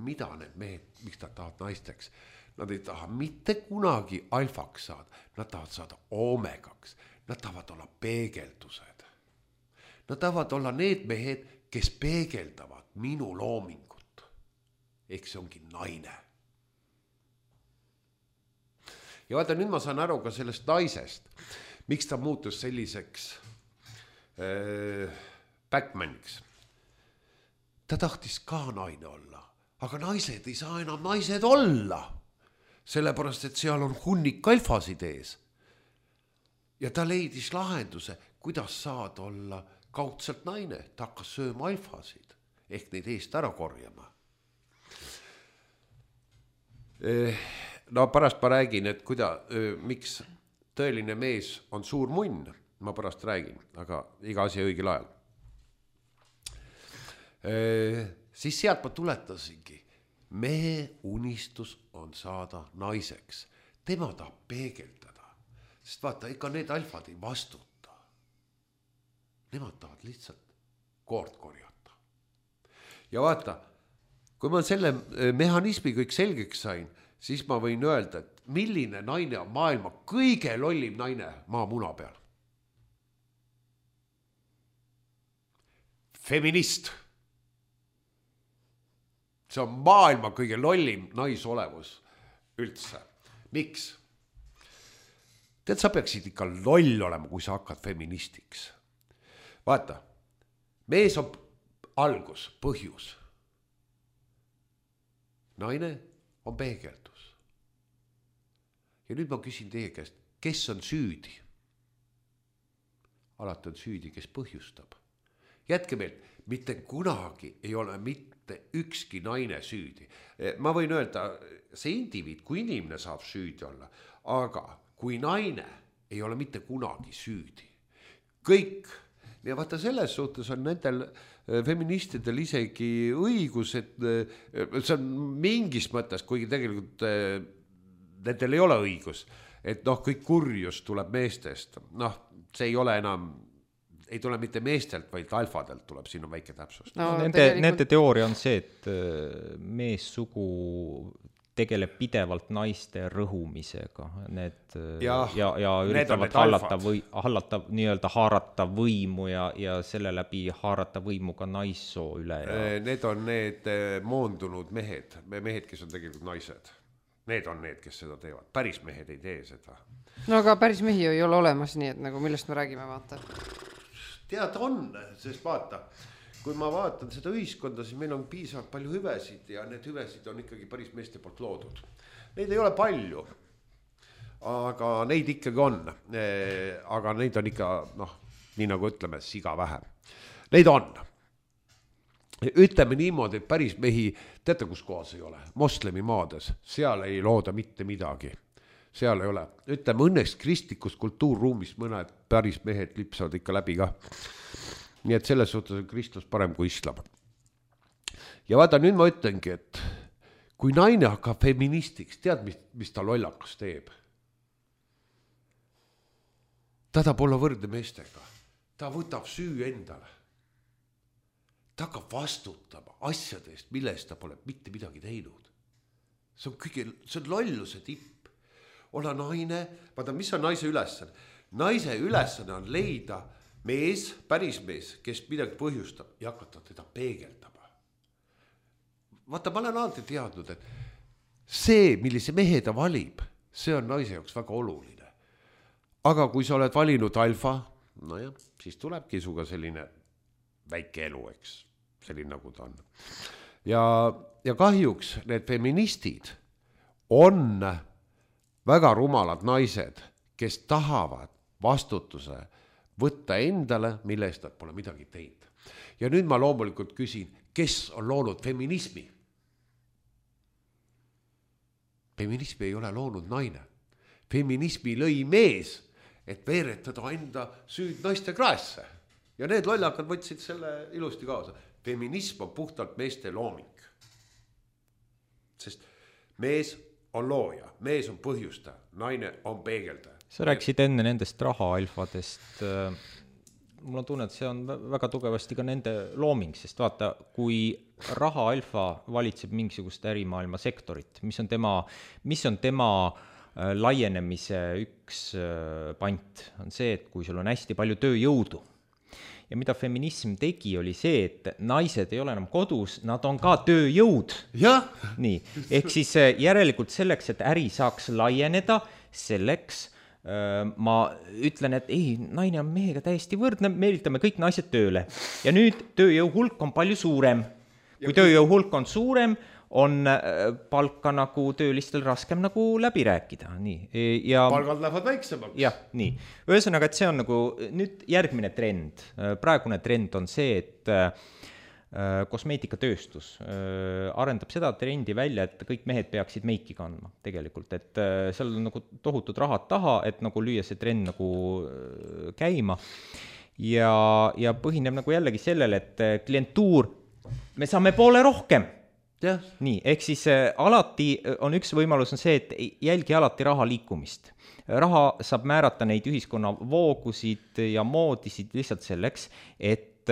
mida need mehed, miks nad tahavad naisteks. Nad ei taha mitte kunagi alfaks saada, nad tahavad saada oomegaks, nad tahavad olla peegeldused. Nad tahavad olla need mehed, kes peegeldavad minu loomingut. Ehk see ongi naine. Ja vaata, nüüd ma saan aru ka sellest naisest, miks ta muutus selliseks backmaniks. Ta tahtis ka naine olla, aga naised ei saa enam naised olla. Sellepärast, et seal on hunnik alfasid ees. Ja ta leidis lahenduse, kuidas saad olla kaudselt naine. Ta hakkas sööma alfasid, ehk neid eest ära korjama. No pärast ma räägin, et miks tõeline mees on suur munn. Ma pärast räägin, aga iga asi õigel ajal. Siis sealt ma tuletasingi. Mehe unistus on saada naiseks. Tema tahab peegeldada. Sest vaata, ega need alfad ei vastuta. Nemad tahavad lihtsalt koort korjata. Ja vaata, kui ma selle mehhanismi kõik selgeks sain, siis ma võin öelda, et milline naine on maailma kõige lollim naine maamuna peal. Feminist. See on maailma kõige lollim naisolevus üldse. Miks? Tead, sa peaksid ikka loll olema, kui sa hakkad feministiks. Vaata, mees on algus, põhjus. Naine on peegeldus. Ja nüüd ma küsin teie käest, kes on süüdi? Alati on süüdi, kes põhjustab. Jätke meil, mitte kunagi ei ole mitte ükski naine süüdi. Ma võin öelda, see indiviid, kui inimene saab süüdi olla, aga kui naine ei ole mitte kunagi süüdi. Kõik, ja vaata selles suhtes on nendel feministidel isegi õigus, et see on mingis mõttes, kuigi tegelikult nendel ei ole õigus, et kõik kurjus tuleb meestest. See ei ole enam... ei tule mitte meestelt, vaid ka alfadelt tuleb, siin on väike täpsust. No, nende teooria on see, et meessugu tegeleb pidevalt naiste rõhumisega. Ja üritavad hallata, nii-öelda haarata võimu ja selle läbi haarata võimu ka naissoo üle. Need on need moondunud mehed, kes on tegelikult naised. Need on need, kes seda teevad. Päris mehed ei tee seda. No aga päris mehi ei ole olemas, nii et nagu millest me räägime, vaata. Tead on, sest vaata, kui ma vaatan seda ühiskonda, siis meil on piisavalt palju hüvesid ja need hüvesid on ikkagi päris meeste poolt loodud. Neid ei ole palju, aga neid ikkagi on. Aga neid on ikka, nii nagu ütleme, siga vähe. Neid on. Ütleme niimoodi, et päris mehi, teate kus kohas ei ole? Moslemi maades, seal ei looda mitte midagi. Seal ei ole. Ütleme, õnneks kristlikus kultuurruumis mõned päris mehed lipsavad ikka läbi ka. Nii et selles suhtes on kristlus parem kui islam. Ja vaata, nüüd ma ütlengi, et kui naine hakkab feministiks, tead, mis ta lollakas teeb? Ta tahab olla võrdne meestega. Ta võtab süü endale. Ta hakkab vastutama asjadest, millest ta pole mitte midagi teinud. See on lolluse tipp. Olla naine, vaata, mis on naise ülesanne? Naise ülesanne on leida mees, päris mees, kes midagi põhjustab ja hakata teda peegeldama. Vaata, ma olen alati teadnud, et see, millise mehe ta valib, see on naise jaoks väga oluline. Aga kui sa oled valinud alfa, siis tulebki suga selline väike elu, eks. selline nagu ta on. Ja kahjuks need feministid on väga rumalad naised, kes tahavad vastutuse võtta endale, mille eest nad pole midagi teinud. Ja nüüd ma loomulikult küsin, kes on loonud feminismi? Feminismi ei ole loonud naine. Feminismi lõi mees, et veeretada enda süüd naiste kraesse. Ja need lollakad võtsid selle ilusti kaasa. Feminism on puhtalt meeste looming. Sest mees on looja, mees on põhjustaja, naine on peegeldaja. Sa rääkisid enne nendest rahaalfadest. Mul on tunne, et see on väga tugevasti ka nende looming, sest vaata, kui rahaalfa valitseb mingisugust ärimaailma sektorit, mis on tema laienemise üks pant, on see, et kui sul on hästi palju tööjõudu, ja mida feminism tegi, oli see, et naised ei ole enam kodus, nad on ka tööjõud. Jah. Nii, ehk siis järelikult selleks, et äri saaks laieneda, selleks ma ütlen, et ei, naine on mehega täiesti võrdne, meelitame kõik naised tööle. Ja nüüd tööjõu hulk on palju suurem. Kui tööjõu hulk on suurem, on palka nagu töölistel raskem nagu läbi rääkida. Nii. Ja palgad lähevad väiksemaks. Jah, nii. Ühesõnaga, et see on nagu nüüd järgmine trend. Praegune trend on see, et kosmeetikatööstus arendab seda trendi välja, et kõik mehed peaksid meiki kandma tegelikult, et seal on nagu tohutud rahad taha, et nagu lüüa see trend nagu käima ja põhineb nagu jällegi sellele, et klientuur, me saame poole rohkem. Ja. Nii, ehk siis alati on üks võimalus on see, et jälgi alati raha liikumist. Raha saab määrata neid ühiskonna voogusid ja moodisid lihtsalt selleks, et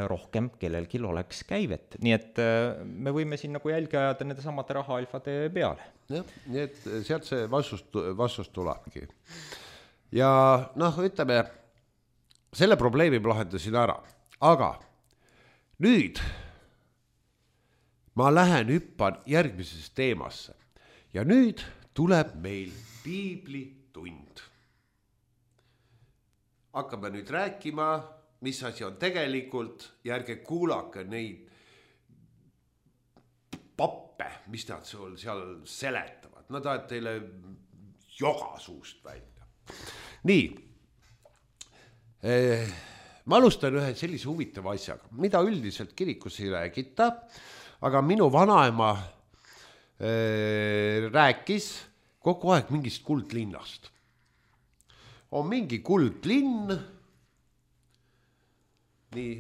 rohkem kellelgi oleks käivet. Nii et me võime siin nagu jälgi ajada nende samade rahaalfade peale. Jah, nii et sealt see vastus tulebki. Ja ütleme, selle probleemi lahendasin ära. Aga nüüd ma lähen hüppan järgmisesse teemasse. Ja nüüd tuleb meil piiblitund. Hakkame nüüd rääkima, mis asi on tegelikult, järge kuulake neid pappe, mis nad seal seletavad. Nad ajad teile joga suust välja. Nii, ma alustan ühe sellise huvitava asjaga, mida üldiselt kirikus ei räägita, aga minu vanaema rääkis kogu aeg mingist kuldlinnast. On mingi kuldlinn. Nii.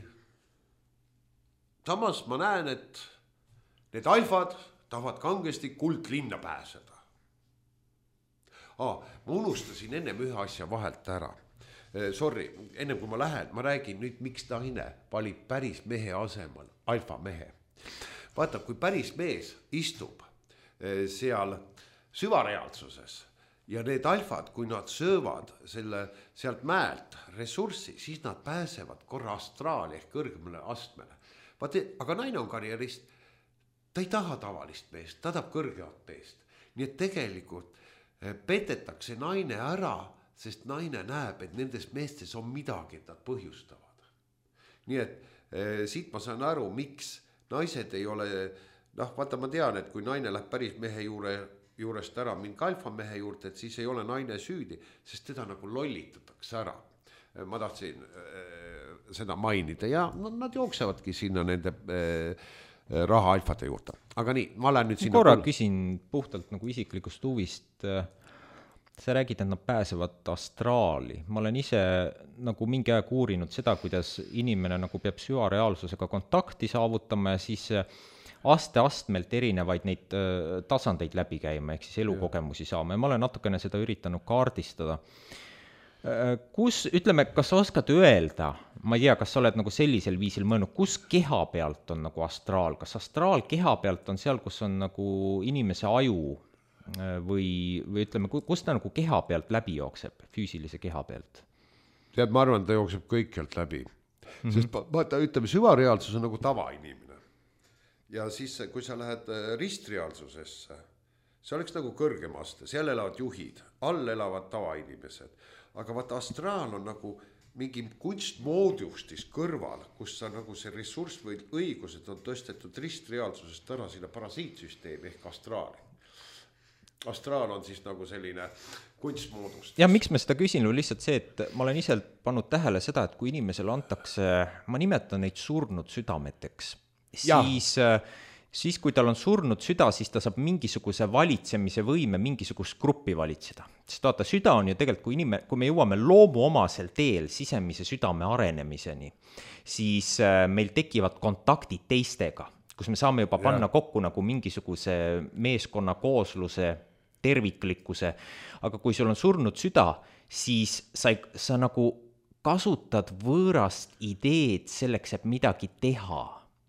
Samas ma näen, et need alfad tahavad kangesti kuldlinna pääseda. Ma unustasin ennem ühe asja vahelt ära. Sorry, ennem kui ma lähen, ma räägin nüüd, miks naine valib päris mehe asemel alfa mehe. Vaata, kui päris mees istub seal süvareaalsuses ja need alfad, kui nad söövad sealt mäelt ressurssi, siis nad pääsevad korra astraali ehk kõrgemale astmele. Aga naine on karjerist, ta ei taha tavalist meest, ta tahab kõrgemat meest. Nii et tegelikult petetakse naine ära, sest naine näeb, et nendes meestes on midagi, et nad põhjustavad. Nii et siit ma saan aru, miks naised ei ole, vaata ma tean, et kui naine läheb päris mehe juurest ära mingi alfa mehe juurde, et siis ei ole naine süüdi, sest teda nagu lollitatakse ära. Ma tahtsin seda mainida ja nad jooksevadki sinna nende raha alfade juurde. Aga nii, ma lähen nüüd sinna. Korra küsin puhtalt nagu isiklikust huvist. Sa räägid, et nad pääsevad astraali. Ma olen ise nagu mingi aeg uurinud seda, kuidas inimene nagu peab süvareaalsusega kontakti saavutama ja siis astmelt erinevaid neid tasandeid läbi käima, ehk siis elukogemusi saama. Ja ma olen natukene seda üritanud kaardistada. Ütleme, kas sa oskad öelda, ma ei tea, kas sa oled nagu sellisel viisil mõelnud, kus keha pealt on nagu astraal? Kas astraal keha pealt on seal, kus on nagu inimese aju või ütleme, kus ta nagu keha pealt läbi jookseb, füüsilise keha pealt? Tead, ma arvan, ta jookseb kõikjalt läbi. Sest vaata, ütleme, süvareaalsus on nagu tavainimene. Ja siis, kui sa lähed ristreaalsusesse, see oleks nagu kõrgem aste, seal elavad juhid, all elavad tavainimesed. Aga vaata, astraal on nagu mingi kunstmoodustis kõrval, kus sa nagu see ressurss või õigused on tõstetud ristreaalsusest ära sinna parasiitsüsteemi ehk astraali. Astraal on siis nagu selline kunstmoodustis. Ja miks ma seda küsin, on lihtsalt see, et ma olen ise pannud tähele seda, et kui inimesele antakse, ma nimetan neid surnud südameteks, siis kui tal on surnud süda, siis ta saab mingisuguse valitsemise võime mingisugust gruppi valitseda. Sest vaata, süda on ju tegelikult, kui me jõuame loomuomasel teel sisemise südame arenemiseni, siis meil tekivad kontaktid teistega, kus me saame juba panna kokku nagu mingisuguse meeskonna koosluse, terviklikkuse, aga kui sul on surnud süda, siis sa nagu kasutad võõrast ideed selleks, et midagi teha.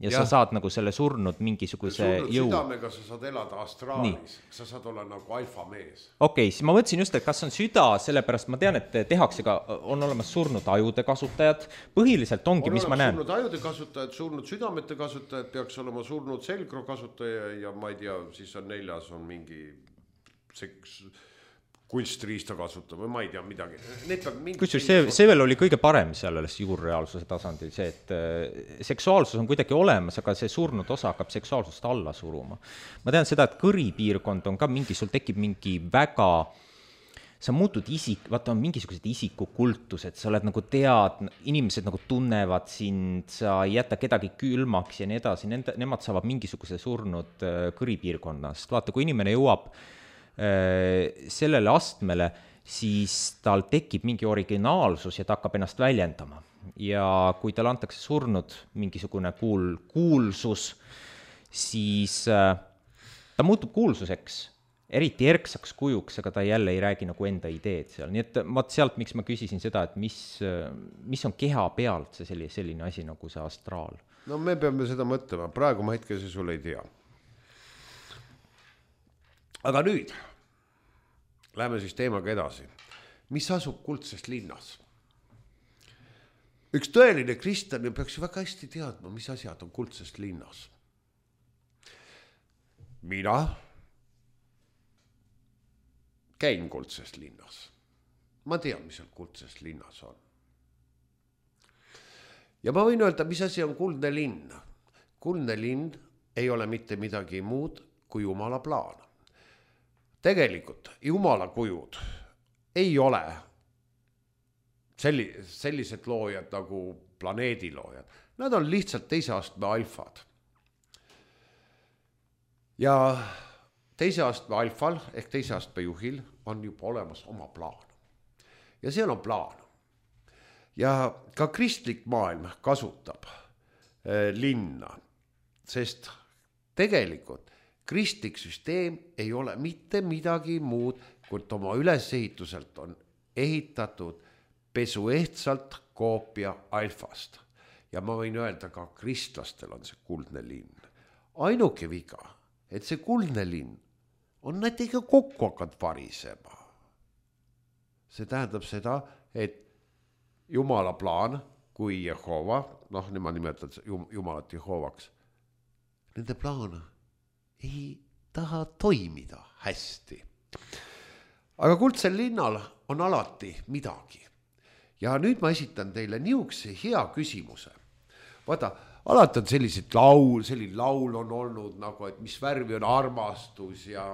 Ja sa saad nagu selle surnud mingisuguse jõu. Südamega sa saad elada astraalis, sa saad olla nagu alfamees. Okei, siis ma mõtlesin just, et kas on süda, sellepärast ma tean, et tehakse ka, on olemas surnud ajude kasutajad, põhiliselt ongi, mis ma näen. Surnud ajude kasutajad, surnud südamete kasutajad, peaks olema surnud selgro kasutaja ja ma ei tea, siis on neljas on mingi kunstriista kasutab või ma ei tea midagi. Kusjuures see veel oli kõige parem seal juurreaalsuse tasandil, see, et seksuaalsus on kuidagi olemas, aga see surnud osa hakkab seksuaalsust alla suruma. Ma tean seda, et kõripiirkond on ka mingi, sul tekib mingi väga, sa muutud vaata on mingisugused isikukultused, sa oled nagu inimesed nagu tunnevad sind, sa ei jäta kedagi külmaks ja nii edasi, nemad saavad mingisuguse surnud kõripiirkonnast. Vaata, kui inimene jõuab sellele astmele, siis tal tekib mingi originaalsus ja ta hakkab ennast väljendama. Ja kui tal antakse surnud mingisugune kuulsus, siis ta muutub kuulsuseks, eriti erksaks kujuks, aga ta jälle ei räägi nagu enda ideed seal. Nii et sealt, miks ma küsisin seda, et mis on keha pealt see selline asi nagu see astraal? No me peame seda mõtlema, praegu ma hetkel see sul ei tea. Aga nüüd, läheme siis teemaga edasi. Mis asub Kuldsest linnas? Üks tõeline kristlane peaks ju väga hästi teadma, mis asjad on Kuldsest linnas. Mina käin Kuldsest linnas. Ma tean, mis seal Kuldsest linnas on. Ja ma võin öelda, mis asi on kuldne linn. Kuldne linn ei ole mitte midagi muud kui Jumala plaan. Tegelikult Jumala kujud ei ole sellised loojad nagu planeediloojad. Nad on lihtsalt teise astme alfad. Ja teise astme alfal ehk teise astme juhil on juba olemas oma plaan. Ja seal on plaan. Ja ka kristlik maailm kasutab linna, sest tegelikult kristlik süsteem ei ole mitte midagi muud, kui oma ülesehituselt on ehitatud pesuehtsalt koopia alfast. Ja ma võin öelda, ka kristlastel on see kuldne linn. Ainuke viga, et see kuldne linn on näitega kokku hakanud varisema. See tähendab seda, et Jumala plaan kui Jehova, nemad nimetavad Jumalat Jehovaks, nende plaan ei taha toimida hästi. Aga Kuldsel linnal on alati midagi. Ja nüüd ma esitan teile niisuguse hea küsimuse. Vaata, alati on selline laul on olnud nagu, et mis värvi on armastus ja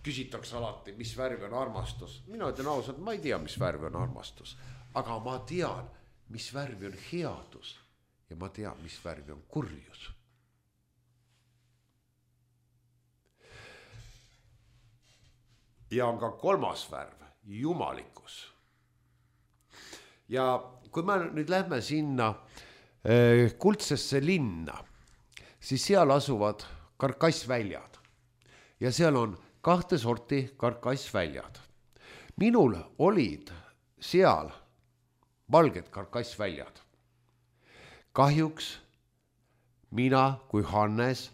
küsitakse alati, mis värvi on armastus. Mina ütlen ausalt, ma ei tea, mis värvi on armastus, aga ma tean, mis värvi on headus ja ma tean, mis värvi on kurjus. Ja on ka kolmas värv, jumalikkus. Ja kui me nüüd lähme sinna Kuldsesse linna, siis seal asuvad karkassväljad. Ja seal on 2 sorti karkassväljad. Minul olid seal valged karkassväljad. Kahjuks mina kui Hannes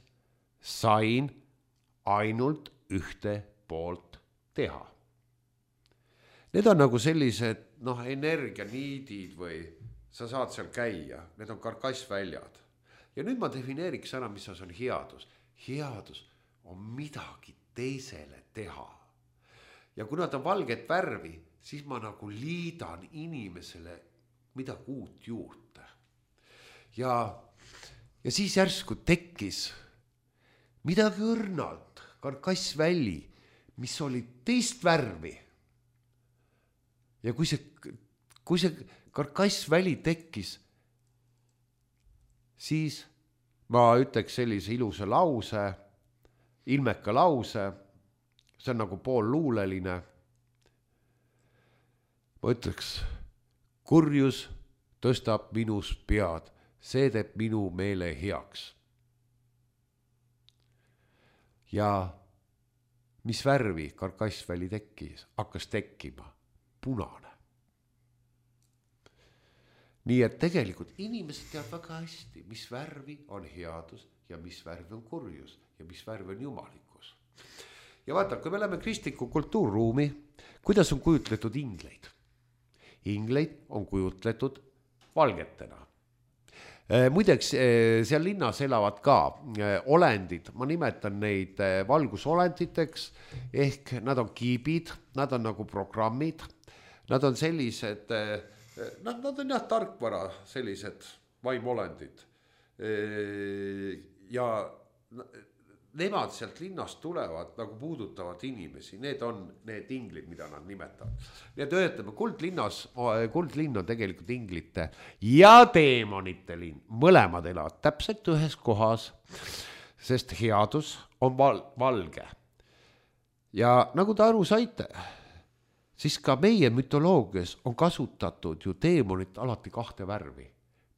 sain ainult ühte poolt teha. Need on nagu sellised energianiidid või sa saad seal käia, need on karkassväljad. Ja nüüd ma defineeriks ära, mis on headus. Headus on midagi teisele teha. Ja kui nad on valget värvi, siis ma nagu liidan inimesele midagi uut juurde. Ja siis järsku tekkis midagi õrnalt, karkassväli, mis oli teist värvi. Ja kui see karkassväli tekkis, siis ma ütleks sellise ilusa lause, ilmeka lause, see on nagu poolluuleline. Ma ütleks, kurjus tõstab minus pead, see teeb minu meele heaks. Ja mis värvi karkassväli tekkis, hakkas tekkima? Punane. Nii et tegelikult inimesed teavad väga hästi, mis värvi on headus ja mis värvi on kurjus ja mis värvi on jumalikkus. Ja vaata, kui me läheme kristliku kultuurruumi, kuidas on kujutletud ingleid? Ingleid on kujutletud valgetena. Muideks seal linnas elavad ka olendid, ma nimetan neid valgusolenditeks, ehk nad on kiibid, nad on nagu programmid, nad on sellised, nad on jah tarkvara, sellised vaimolendid. Ja nemad sealt linnast tulevad, nagu puudutavad inimesi, need on need inglid, mida nad nimetavad. Nii et ütleme, kuldlinn on tegelikult inglite ja teemonite linn, mõlemad elavad täpselt ühes kohas, sest headus on valge. Ja nagu te aru saite, siis ka meie mütoloogias on kasutatud ju teemonit alati kahte värvi,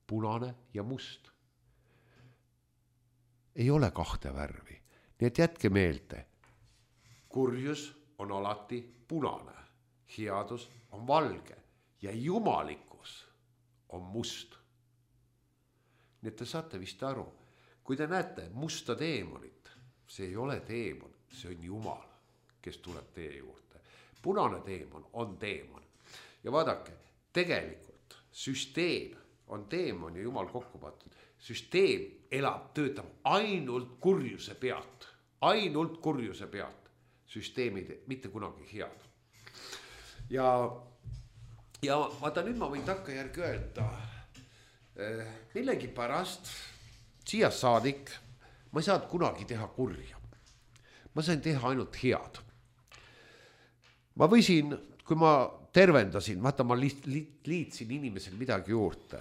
punane ja must. Ei ole kahte värvi. Nii et jätke meelde, kurjus on alati punane, headus on valge ja jumalikkus on must. Nii et te saate vist aru, kui te näete musta teemonit, see ei ole teemon, see on Jumal, kes tuleb teie juurde. Punane teemon on teemon. Ja vaadake, tegelikult süsteem on teemon ja Jumal kokku patud. Süsteem töötab ainult kurjuse pealt. Ainult kurjuse pealt. Süsteemid mitte kunagi head. Ja vaata, nüüd ma võin takkajärgi öelda, millegi pärast siia saadik ma ei saanud kunagi teha kurja. Ma sain teha ainult head. Ma võisin, kui ma tervendasin, vaata ma liitsin inimesel midagi juurde.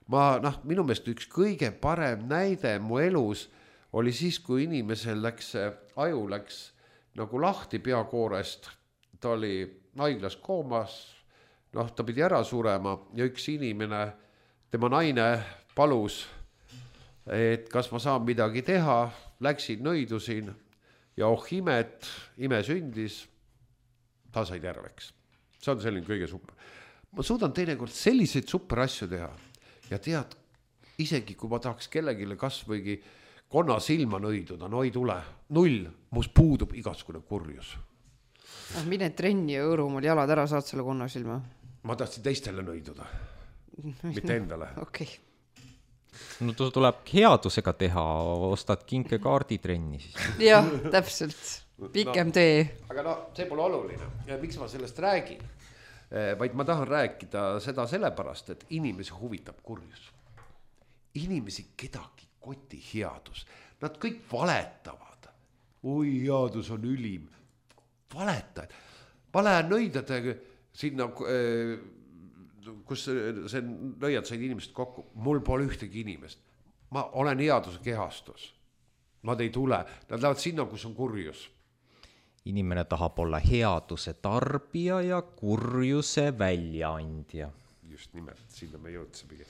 Minu meelest üks kõige parem näide mu elus oli siis, kui inimesel aju läks nagu lahti peakoorest, ta oli haiglas koomas, ta pidi ära surema ja üks inimene, tema naine palus, et kas ma saan midagi teha, läksin, nõidusin ja imet, ime sündis, ta sai terveks. See on selline kõige super. Ma suudan teinekord selliseid super asju teha. Ja tead, isegi kui ma tahaks kellegile kas võigi konna silma nõiduda, no ei tule. 0, mus puudub igasugune kurjus. Mine trenni ja õõrumal jalad ära, saad selle konna silma? Ma tahtsin teistele nõiduda, mitte endale. Okay. No tuleb headusega teha, ostad kinkekaardi trenni siis. Jah, täpselt. Pikem tee. Aga see pole oluline. Ja miks ma sellest räägin? Vaid ma tahan rääkida seda sellepärast, et inimesi huvitab kurjus. Inimesi kedagi koti headus. Nad kõik valetavad. Oi, headus on ülim. Valetajad. Ma lähen nõidadega sinna, kus see nõiad said inimesed kokku. Mul pole ühtegi inimest. Ma olen headuse kehastus. Nad ei tule. Nad lähevad sinna, kus on kurjus. Inimene tahab olla headuse tarbija ja kurjuse väljaandja. Just nimelt, sinna me jõudsimegi.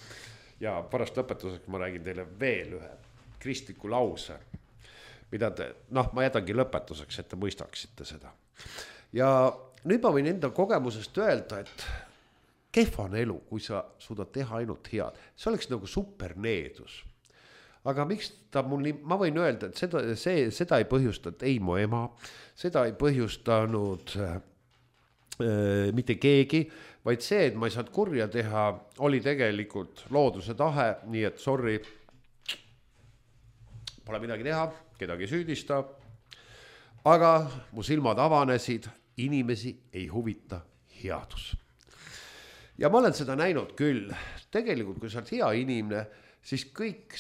Ja pärast lõpetuseks ma räägin teile veel ühe kristliku lause, mida ma jätangi lõpetuseks, et te mõistaksite seda. Ja nüüd ma võin enda kogemusest öelda, et kehva on elu, kui sa suudad teha ainult head. See oleks nagu superneedus. Aga miks ma võin öelda, et seda ei põhjustanud ei mu ema, seda ei põhjustanud mitte keegi, vaid see, et ma ei saanud kurja teha, oli tegelikult looduse tahe, nii et sorry, pole midagi teha, kedagi süüdista. Aga mu silmad avanesid, inimesi ei huvita headus. Ja ma olen seda näinud küll. Tegelikult, kui sa oled hea inimene, siis kõik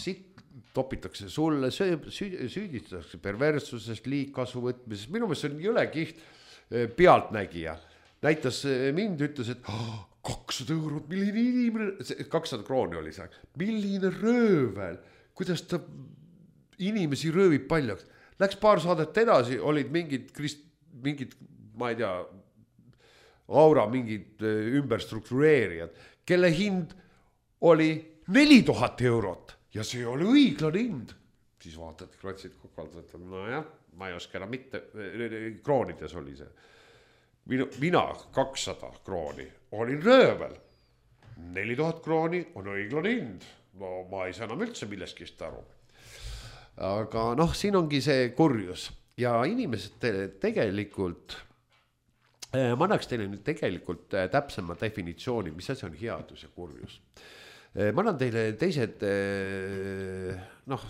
topitakse sulle, süüdistatakse perverssusest, liigkasu võtmisest. Minu meelest see on jõle kiht pealtnägija. Näitas mind, ütles, et 200 eurot, milline inimene, 200 krooni oli see, milline röövel, kuidas ta inimesi röövib paljaks. Läks paar saadet edasi, olid mingid, ma ei tea, aura mingid ümberstruktureerijad, kelle hind oli 4000 eurot ja see oli õiglane hind. Siis vaatad, kratsid kokku, no jah, ma ei oska enam mitte, kroonides oli see. Mina 200 krooni olin röövel. 4000 krooni on õiglane hind. No ma ei saa enam üldse milleskist aru. Aga noh, siin ongi see kurjus. Ja inimesed tegelikult, ma annaks teile nüüd tegelikult täpsema definitsiooni, mis asi on headus ja kurjus. Ma annan teile teised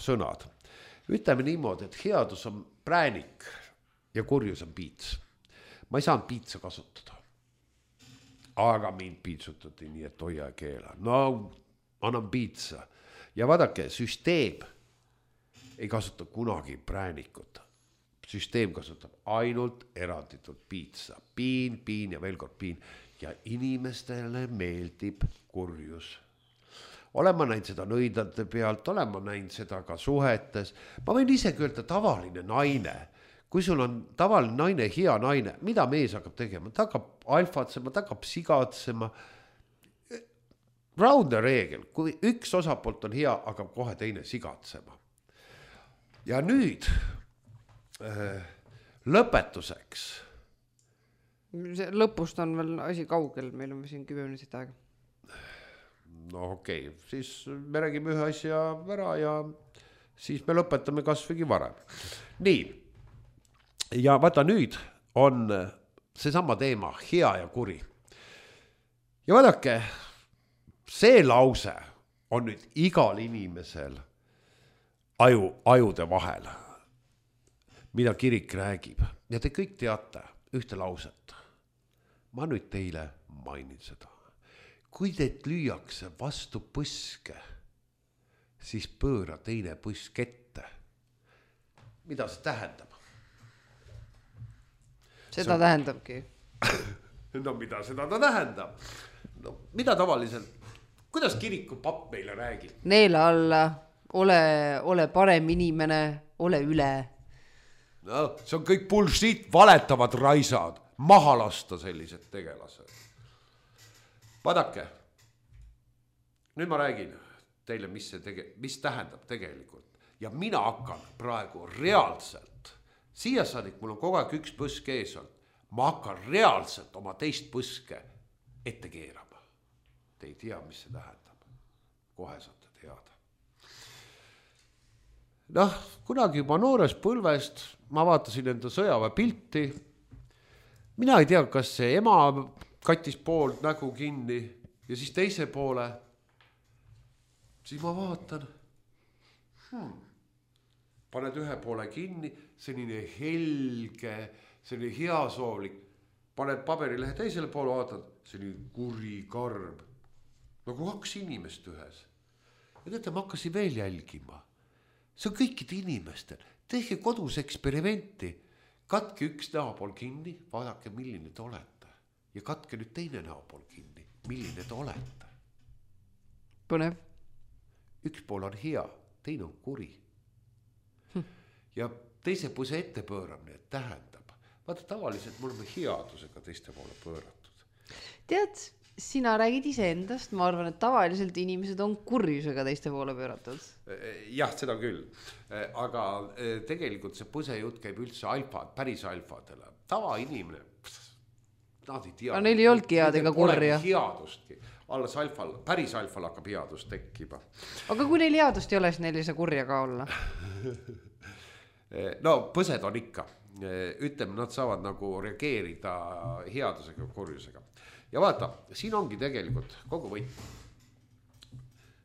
sõnad. Ütleme niimoodi, et headus on präänik ja kurjus on piits. Ma ei saanud piitsa kasutada. Aga mind piitsutati nii, et hoia ja keela. No, annan piitsa. Ja vaadake, süsteem ei kasuta kunagi präänikut. Süsteem kasutab ainult eranditult piitsa. Piin ja veel kord piin. Ja inimestele meeldib kurjus. Olen ma näinud seda nõidlate pealt, olen ma näinud seda ka suhetes. Ma võin isegi öelda tavaline naine. Kui sul on tavaline naine, hea naine, mida mees hakkab tegema? Ta hakkab alfatsema, ta hakkab sigatsema. Raudne reegel, kui üks osapoolt on hea, hakkab kohe teine sigatsema. Ja nüüd lõpetuseks. Lõpust on veel asi kaugel, meil on siin 10 minutit aega. No okei, siis me räägime ühe asja ära ja siis me lõpetame kasvõi varem. Nii. Ja vaata nüüd on seesama teema, hea ja kuri. Ja vaadake, see lause on nüüd igal inimesel ajude vahel, mida kirik räägib. Ja te kõik teate ühte lauset. Ma nüüd teile mainin seda. Kui teid lüüakse vastu põske, siis pööra teine põsk ette. Mida see tähendab? Seda tähendabki. No mida seda ta tähendab? No, mida tavaliselt? Kuidas kiriku papp meile räägib? Neela alla, ole parem inimene, ole üle. No, see on kõik bullshit, valetavad raisad. Maha lasta sellised tegelased. Vaadake, nüüd ma räägin teile, mis tähendab tegelikult. Ja mina hakkan praegu reaalselt, siia saadik mul on kogu aeg üks põsk ees on, ma hakkan reaalselt oma teist põske ette keerama. Te ei tea, mis see tähendab. Kohe saate teada. Noh, kunagi juba noores põlvest ma vaatasin enda sõjaväe pilti. Mina ei tea, kas see ema kattis pool nägu kinni ja siis teise poole. Siis ma vaatan. Paned ühe poole kinni, selline helge, selline heasoovlik. Paned paberilehe teisele poole, vaatad, selline kuri karb. Nagu 2 inimest ühes. Ja teate, ma hakkasin veel jälgima. See on kõikide inimestel. Tehke kodus eksperimenti. Katke üks näopool kinni, vaadake, milline te olete. Ja katke nüüd teine näopool kinni, milline te olete. Põnev. Üks pool on hea, teine on kuri. Ja teise põse ette pööramine tähendab. Vaata, tavaliselt me oleme headusega teiste poole pööratud. Tead, sina räägid iseendast, ma arvan, et tavaliselt inimesed on kurjusega teiste poole pööratud. Jah, seda küll. Aga tegelikult see põsejutt käib üldse päris alfadele. Tavainimene, nad ei tea. Aga neil ei oldki head ega kurja. Headustki. Alles päris alfal hakkab headust tekkiba. Aga kui neil headust ei ole, siis neil ei saa kurja ka olla. No põsed on ikka. Ütleme, nad saavad nagu reageerida headusega ja kurjusega. Ja vaata, siin ongi tegelikult kogu võit.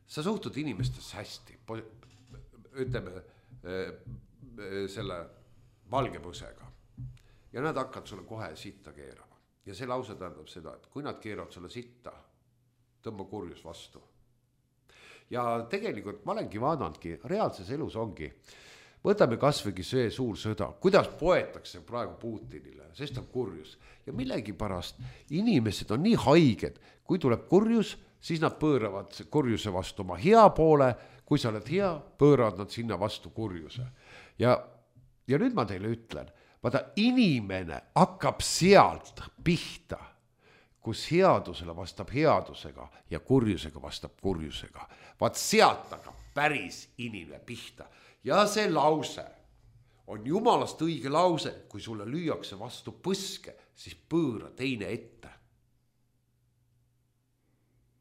Sa suhtud inimestesse hästi. Ütleme, selle valge põsega. Ja nad hakkavad sulle kohe sitta keerama. ja see lause tähendab seda, et kui nad keeravad sulle sitta, tõmba kurjus vastu. Ja tegelikult ma olengi vaadanudki, reaalses elus ongi, võtame kasvõigi see suur sõda, kuidas poetakse praegu Putinile, sest on kurjus. Ja millegipärast inimesed on nii haiged, kui tuleb kurjus, siis nad pööravad kurjuse vastu oma hea poole, kui sa oled hea, pööravad nad sinna vastu kurjuse. Ja nüüd ma teile ütlen, vaata inimene hakkab sealt pihta, kus headusele vastab headusega ja kurjusega vastab kurjusega. Vaat sealt hakkab päris inimene pihta. Ja see lause on jumalast õige lause, kui sulle lüüakse vastu põske, siis pööra teine ette.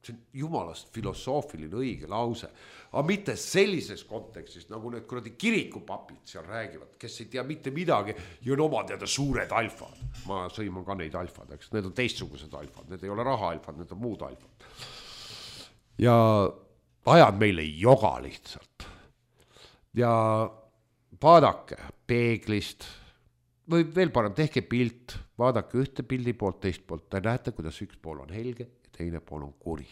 See on jumalast filosoofiline õige lause, aga mitte sellises kontekstis, nagu need kuradi kirikupapid seal räägivad, kes ei tea mitte midagi ja on oma teada suured alfad. Ma sõiman ka neid alfad, eks, need on teistsugused alfad, need ei ole raha alfad, need on muud alfad. Ja ajad meile joga lihtsalt. Ja vaadake peeglist või veel parem, tehke pilt, vaadake ühte pildi poolt, teist poolt, te näete, kuidas üks pool on helge ja teine pool on kuri.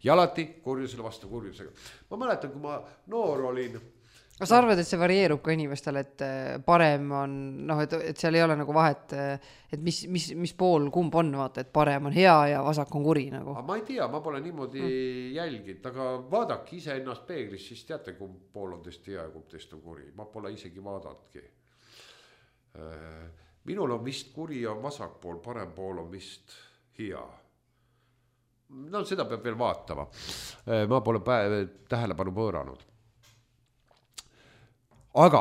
Ja alati kurjusele vastu kurjusega. Ma mäletan, kui ma noor olin. Sa arvad, et see varieerub ka inimestele, et parem on, et seal ei ole nagu vahet, et mis pool kumb on, vaata, et parem on hea ja vasak on kuri nagu. Ma ei tea, ma pole niimoodi jälginud, aga vaadake ise ennast peeglis, siis teate, kumb pool on teist hea ja kumb teist on kuri. Ma pole isegi vaadanudki. Minul on vist kuri ja vasak pool, parem pool on vist hea. No seda peab veel vaatama. Ma pole tähelepanu pööranud. Aga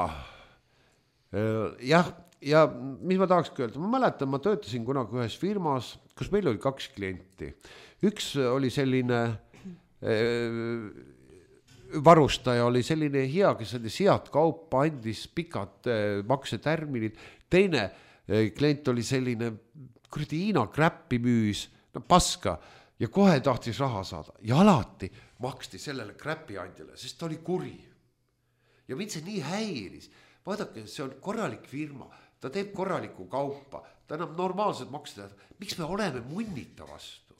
jah, ja mis ma tahakski öelda, ma mäletan, ma töötasin kunagi ühes firmas, kus meil oli 2 klienti. Üks oli selline varustaja, oli selline hea, kes andis head kaupa, andis pikad maksetärminid. Teine klient oli selline kuradi Hiina kräppi müüs, paska ja kohe tahtis raha saada. Ja alati maksti sellele kräpiandjale, sest ta oli kuri. Ja mind see nii häiris. Vaadake, see on korralik firma, ta teeb korralikku kaupa, ta enam normaalselt maksida. Miks me oleme munnita vastu?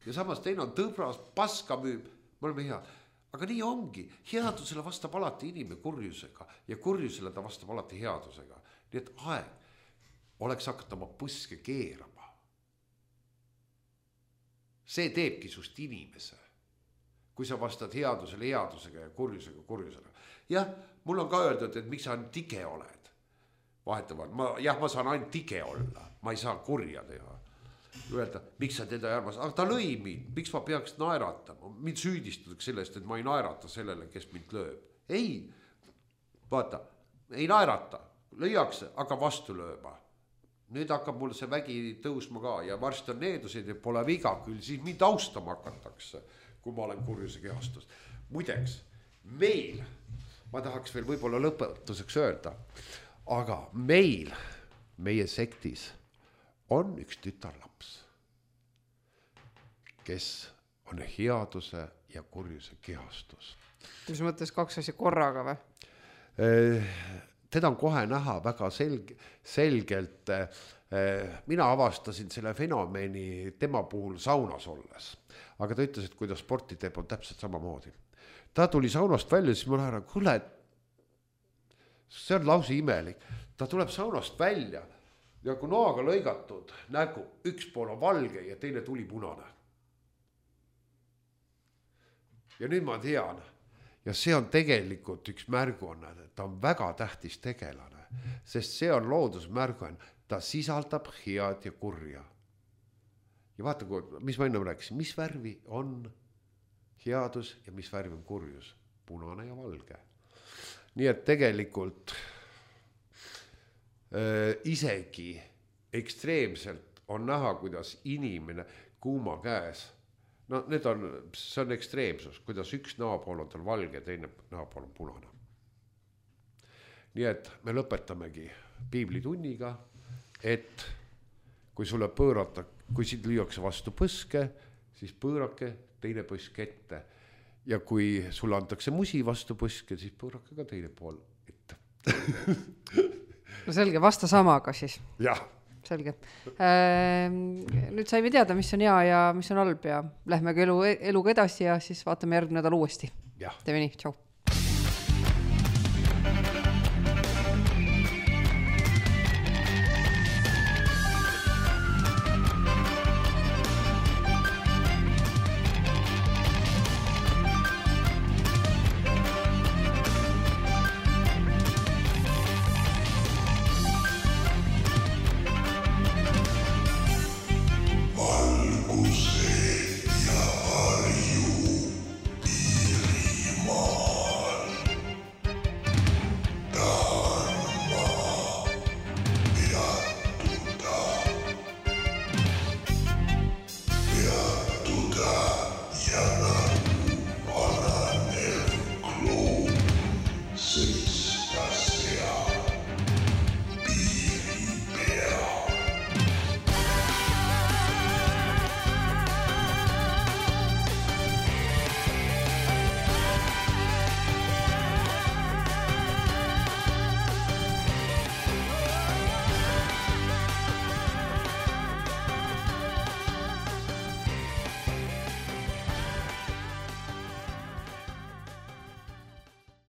Ja samas teine on tõbras, paska müüb, me oleme head. Aga nii ongi, headusele vastab alati inimene kurjusega ja kurjusele ta vastab alati headusega. Nii et aeg oleks hakata oma põske keerama. See teebki sust inimese. Kui sa vastad headusele headusega ja kurjusega kurjusega. Jah, mul on ka öeldud, et miks sa tige oled. Vahetavad, ma saan ainult tige olla, ma ei saa kurja teha. Öelda, miks sa teda ei armas, aga ta lõi mind, miks ma peaks naeratama. Mind süüdistatakse sellest, et ma ei naerata sellele, kes mind lööb. Ei, vaata, ei naerata, lõiakse, aga vastu lööma. Nüüd hakkab mul see vägi tõusma ka ja varsti on needusid ja pole viga küll, siis mind austama hakatakse, kui ma olen kurjuse kehastus. Muideks, meil, ma tahaks veel võib-olla lõpetuseks öelda, aga meie sektis on üks tütarlaps, kes on headuse ja kurjuse kehastus. Mis mõttes 2 asja korraga või? Teda on kohe näha väga selgelt. Mina avastasin selle fenomeni tema puhul saunas olles. Aga ta ütles, et kui ta sporti teeb, on täpselt samamoodi. Ta tuli saunast välja, siis ma lähen, kuule, see on lausa imelik. Ta tuleb saunast välja ja kui noaga lõigatud nägu, üks pool on valge ja teine tuli punane. Ja nüüd ma tean, ja see on tegelikult üks märguanne, ta on väga tähtis tegelane, sest see on loodusmärguanne, ta sisaldab head ja kurja. Ja vaata, mis ma enne rääkisin, mis värvi on headus ja mis värvi on kurjus, punane ja valge. Nii et tegelikult isegi ekstreemselt on näha, kuidas inimene kuuma käes, no see on ekstreemsus, kuidas üks näopool on tal valge ja teine näopool on punane. Nii et me lõpetamegi piiblitunniga, et kui sulle pöörata, kui sind lüüakse vastu põske, siis pöörake teine põsk ette. Ja kui sulle antakse musi vastu põske, siis pöörake ka teine pool ette. No selge, vasta samaga siis. Jah. selge. Nüüd saime teada, mis on hea ja mis on halb ja lähme ka eluga edasi ja siis vaatame järgmine nädal uuesti. Teeme nii, tšau.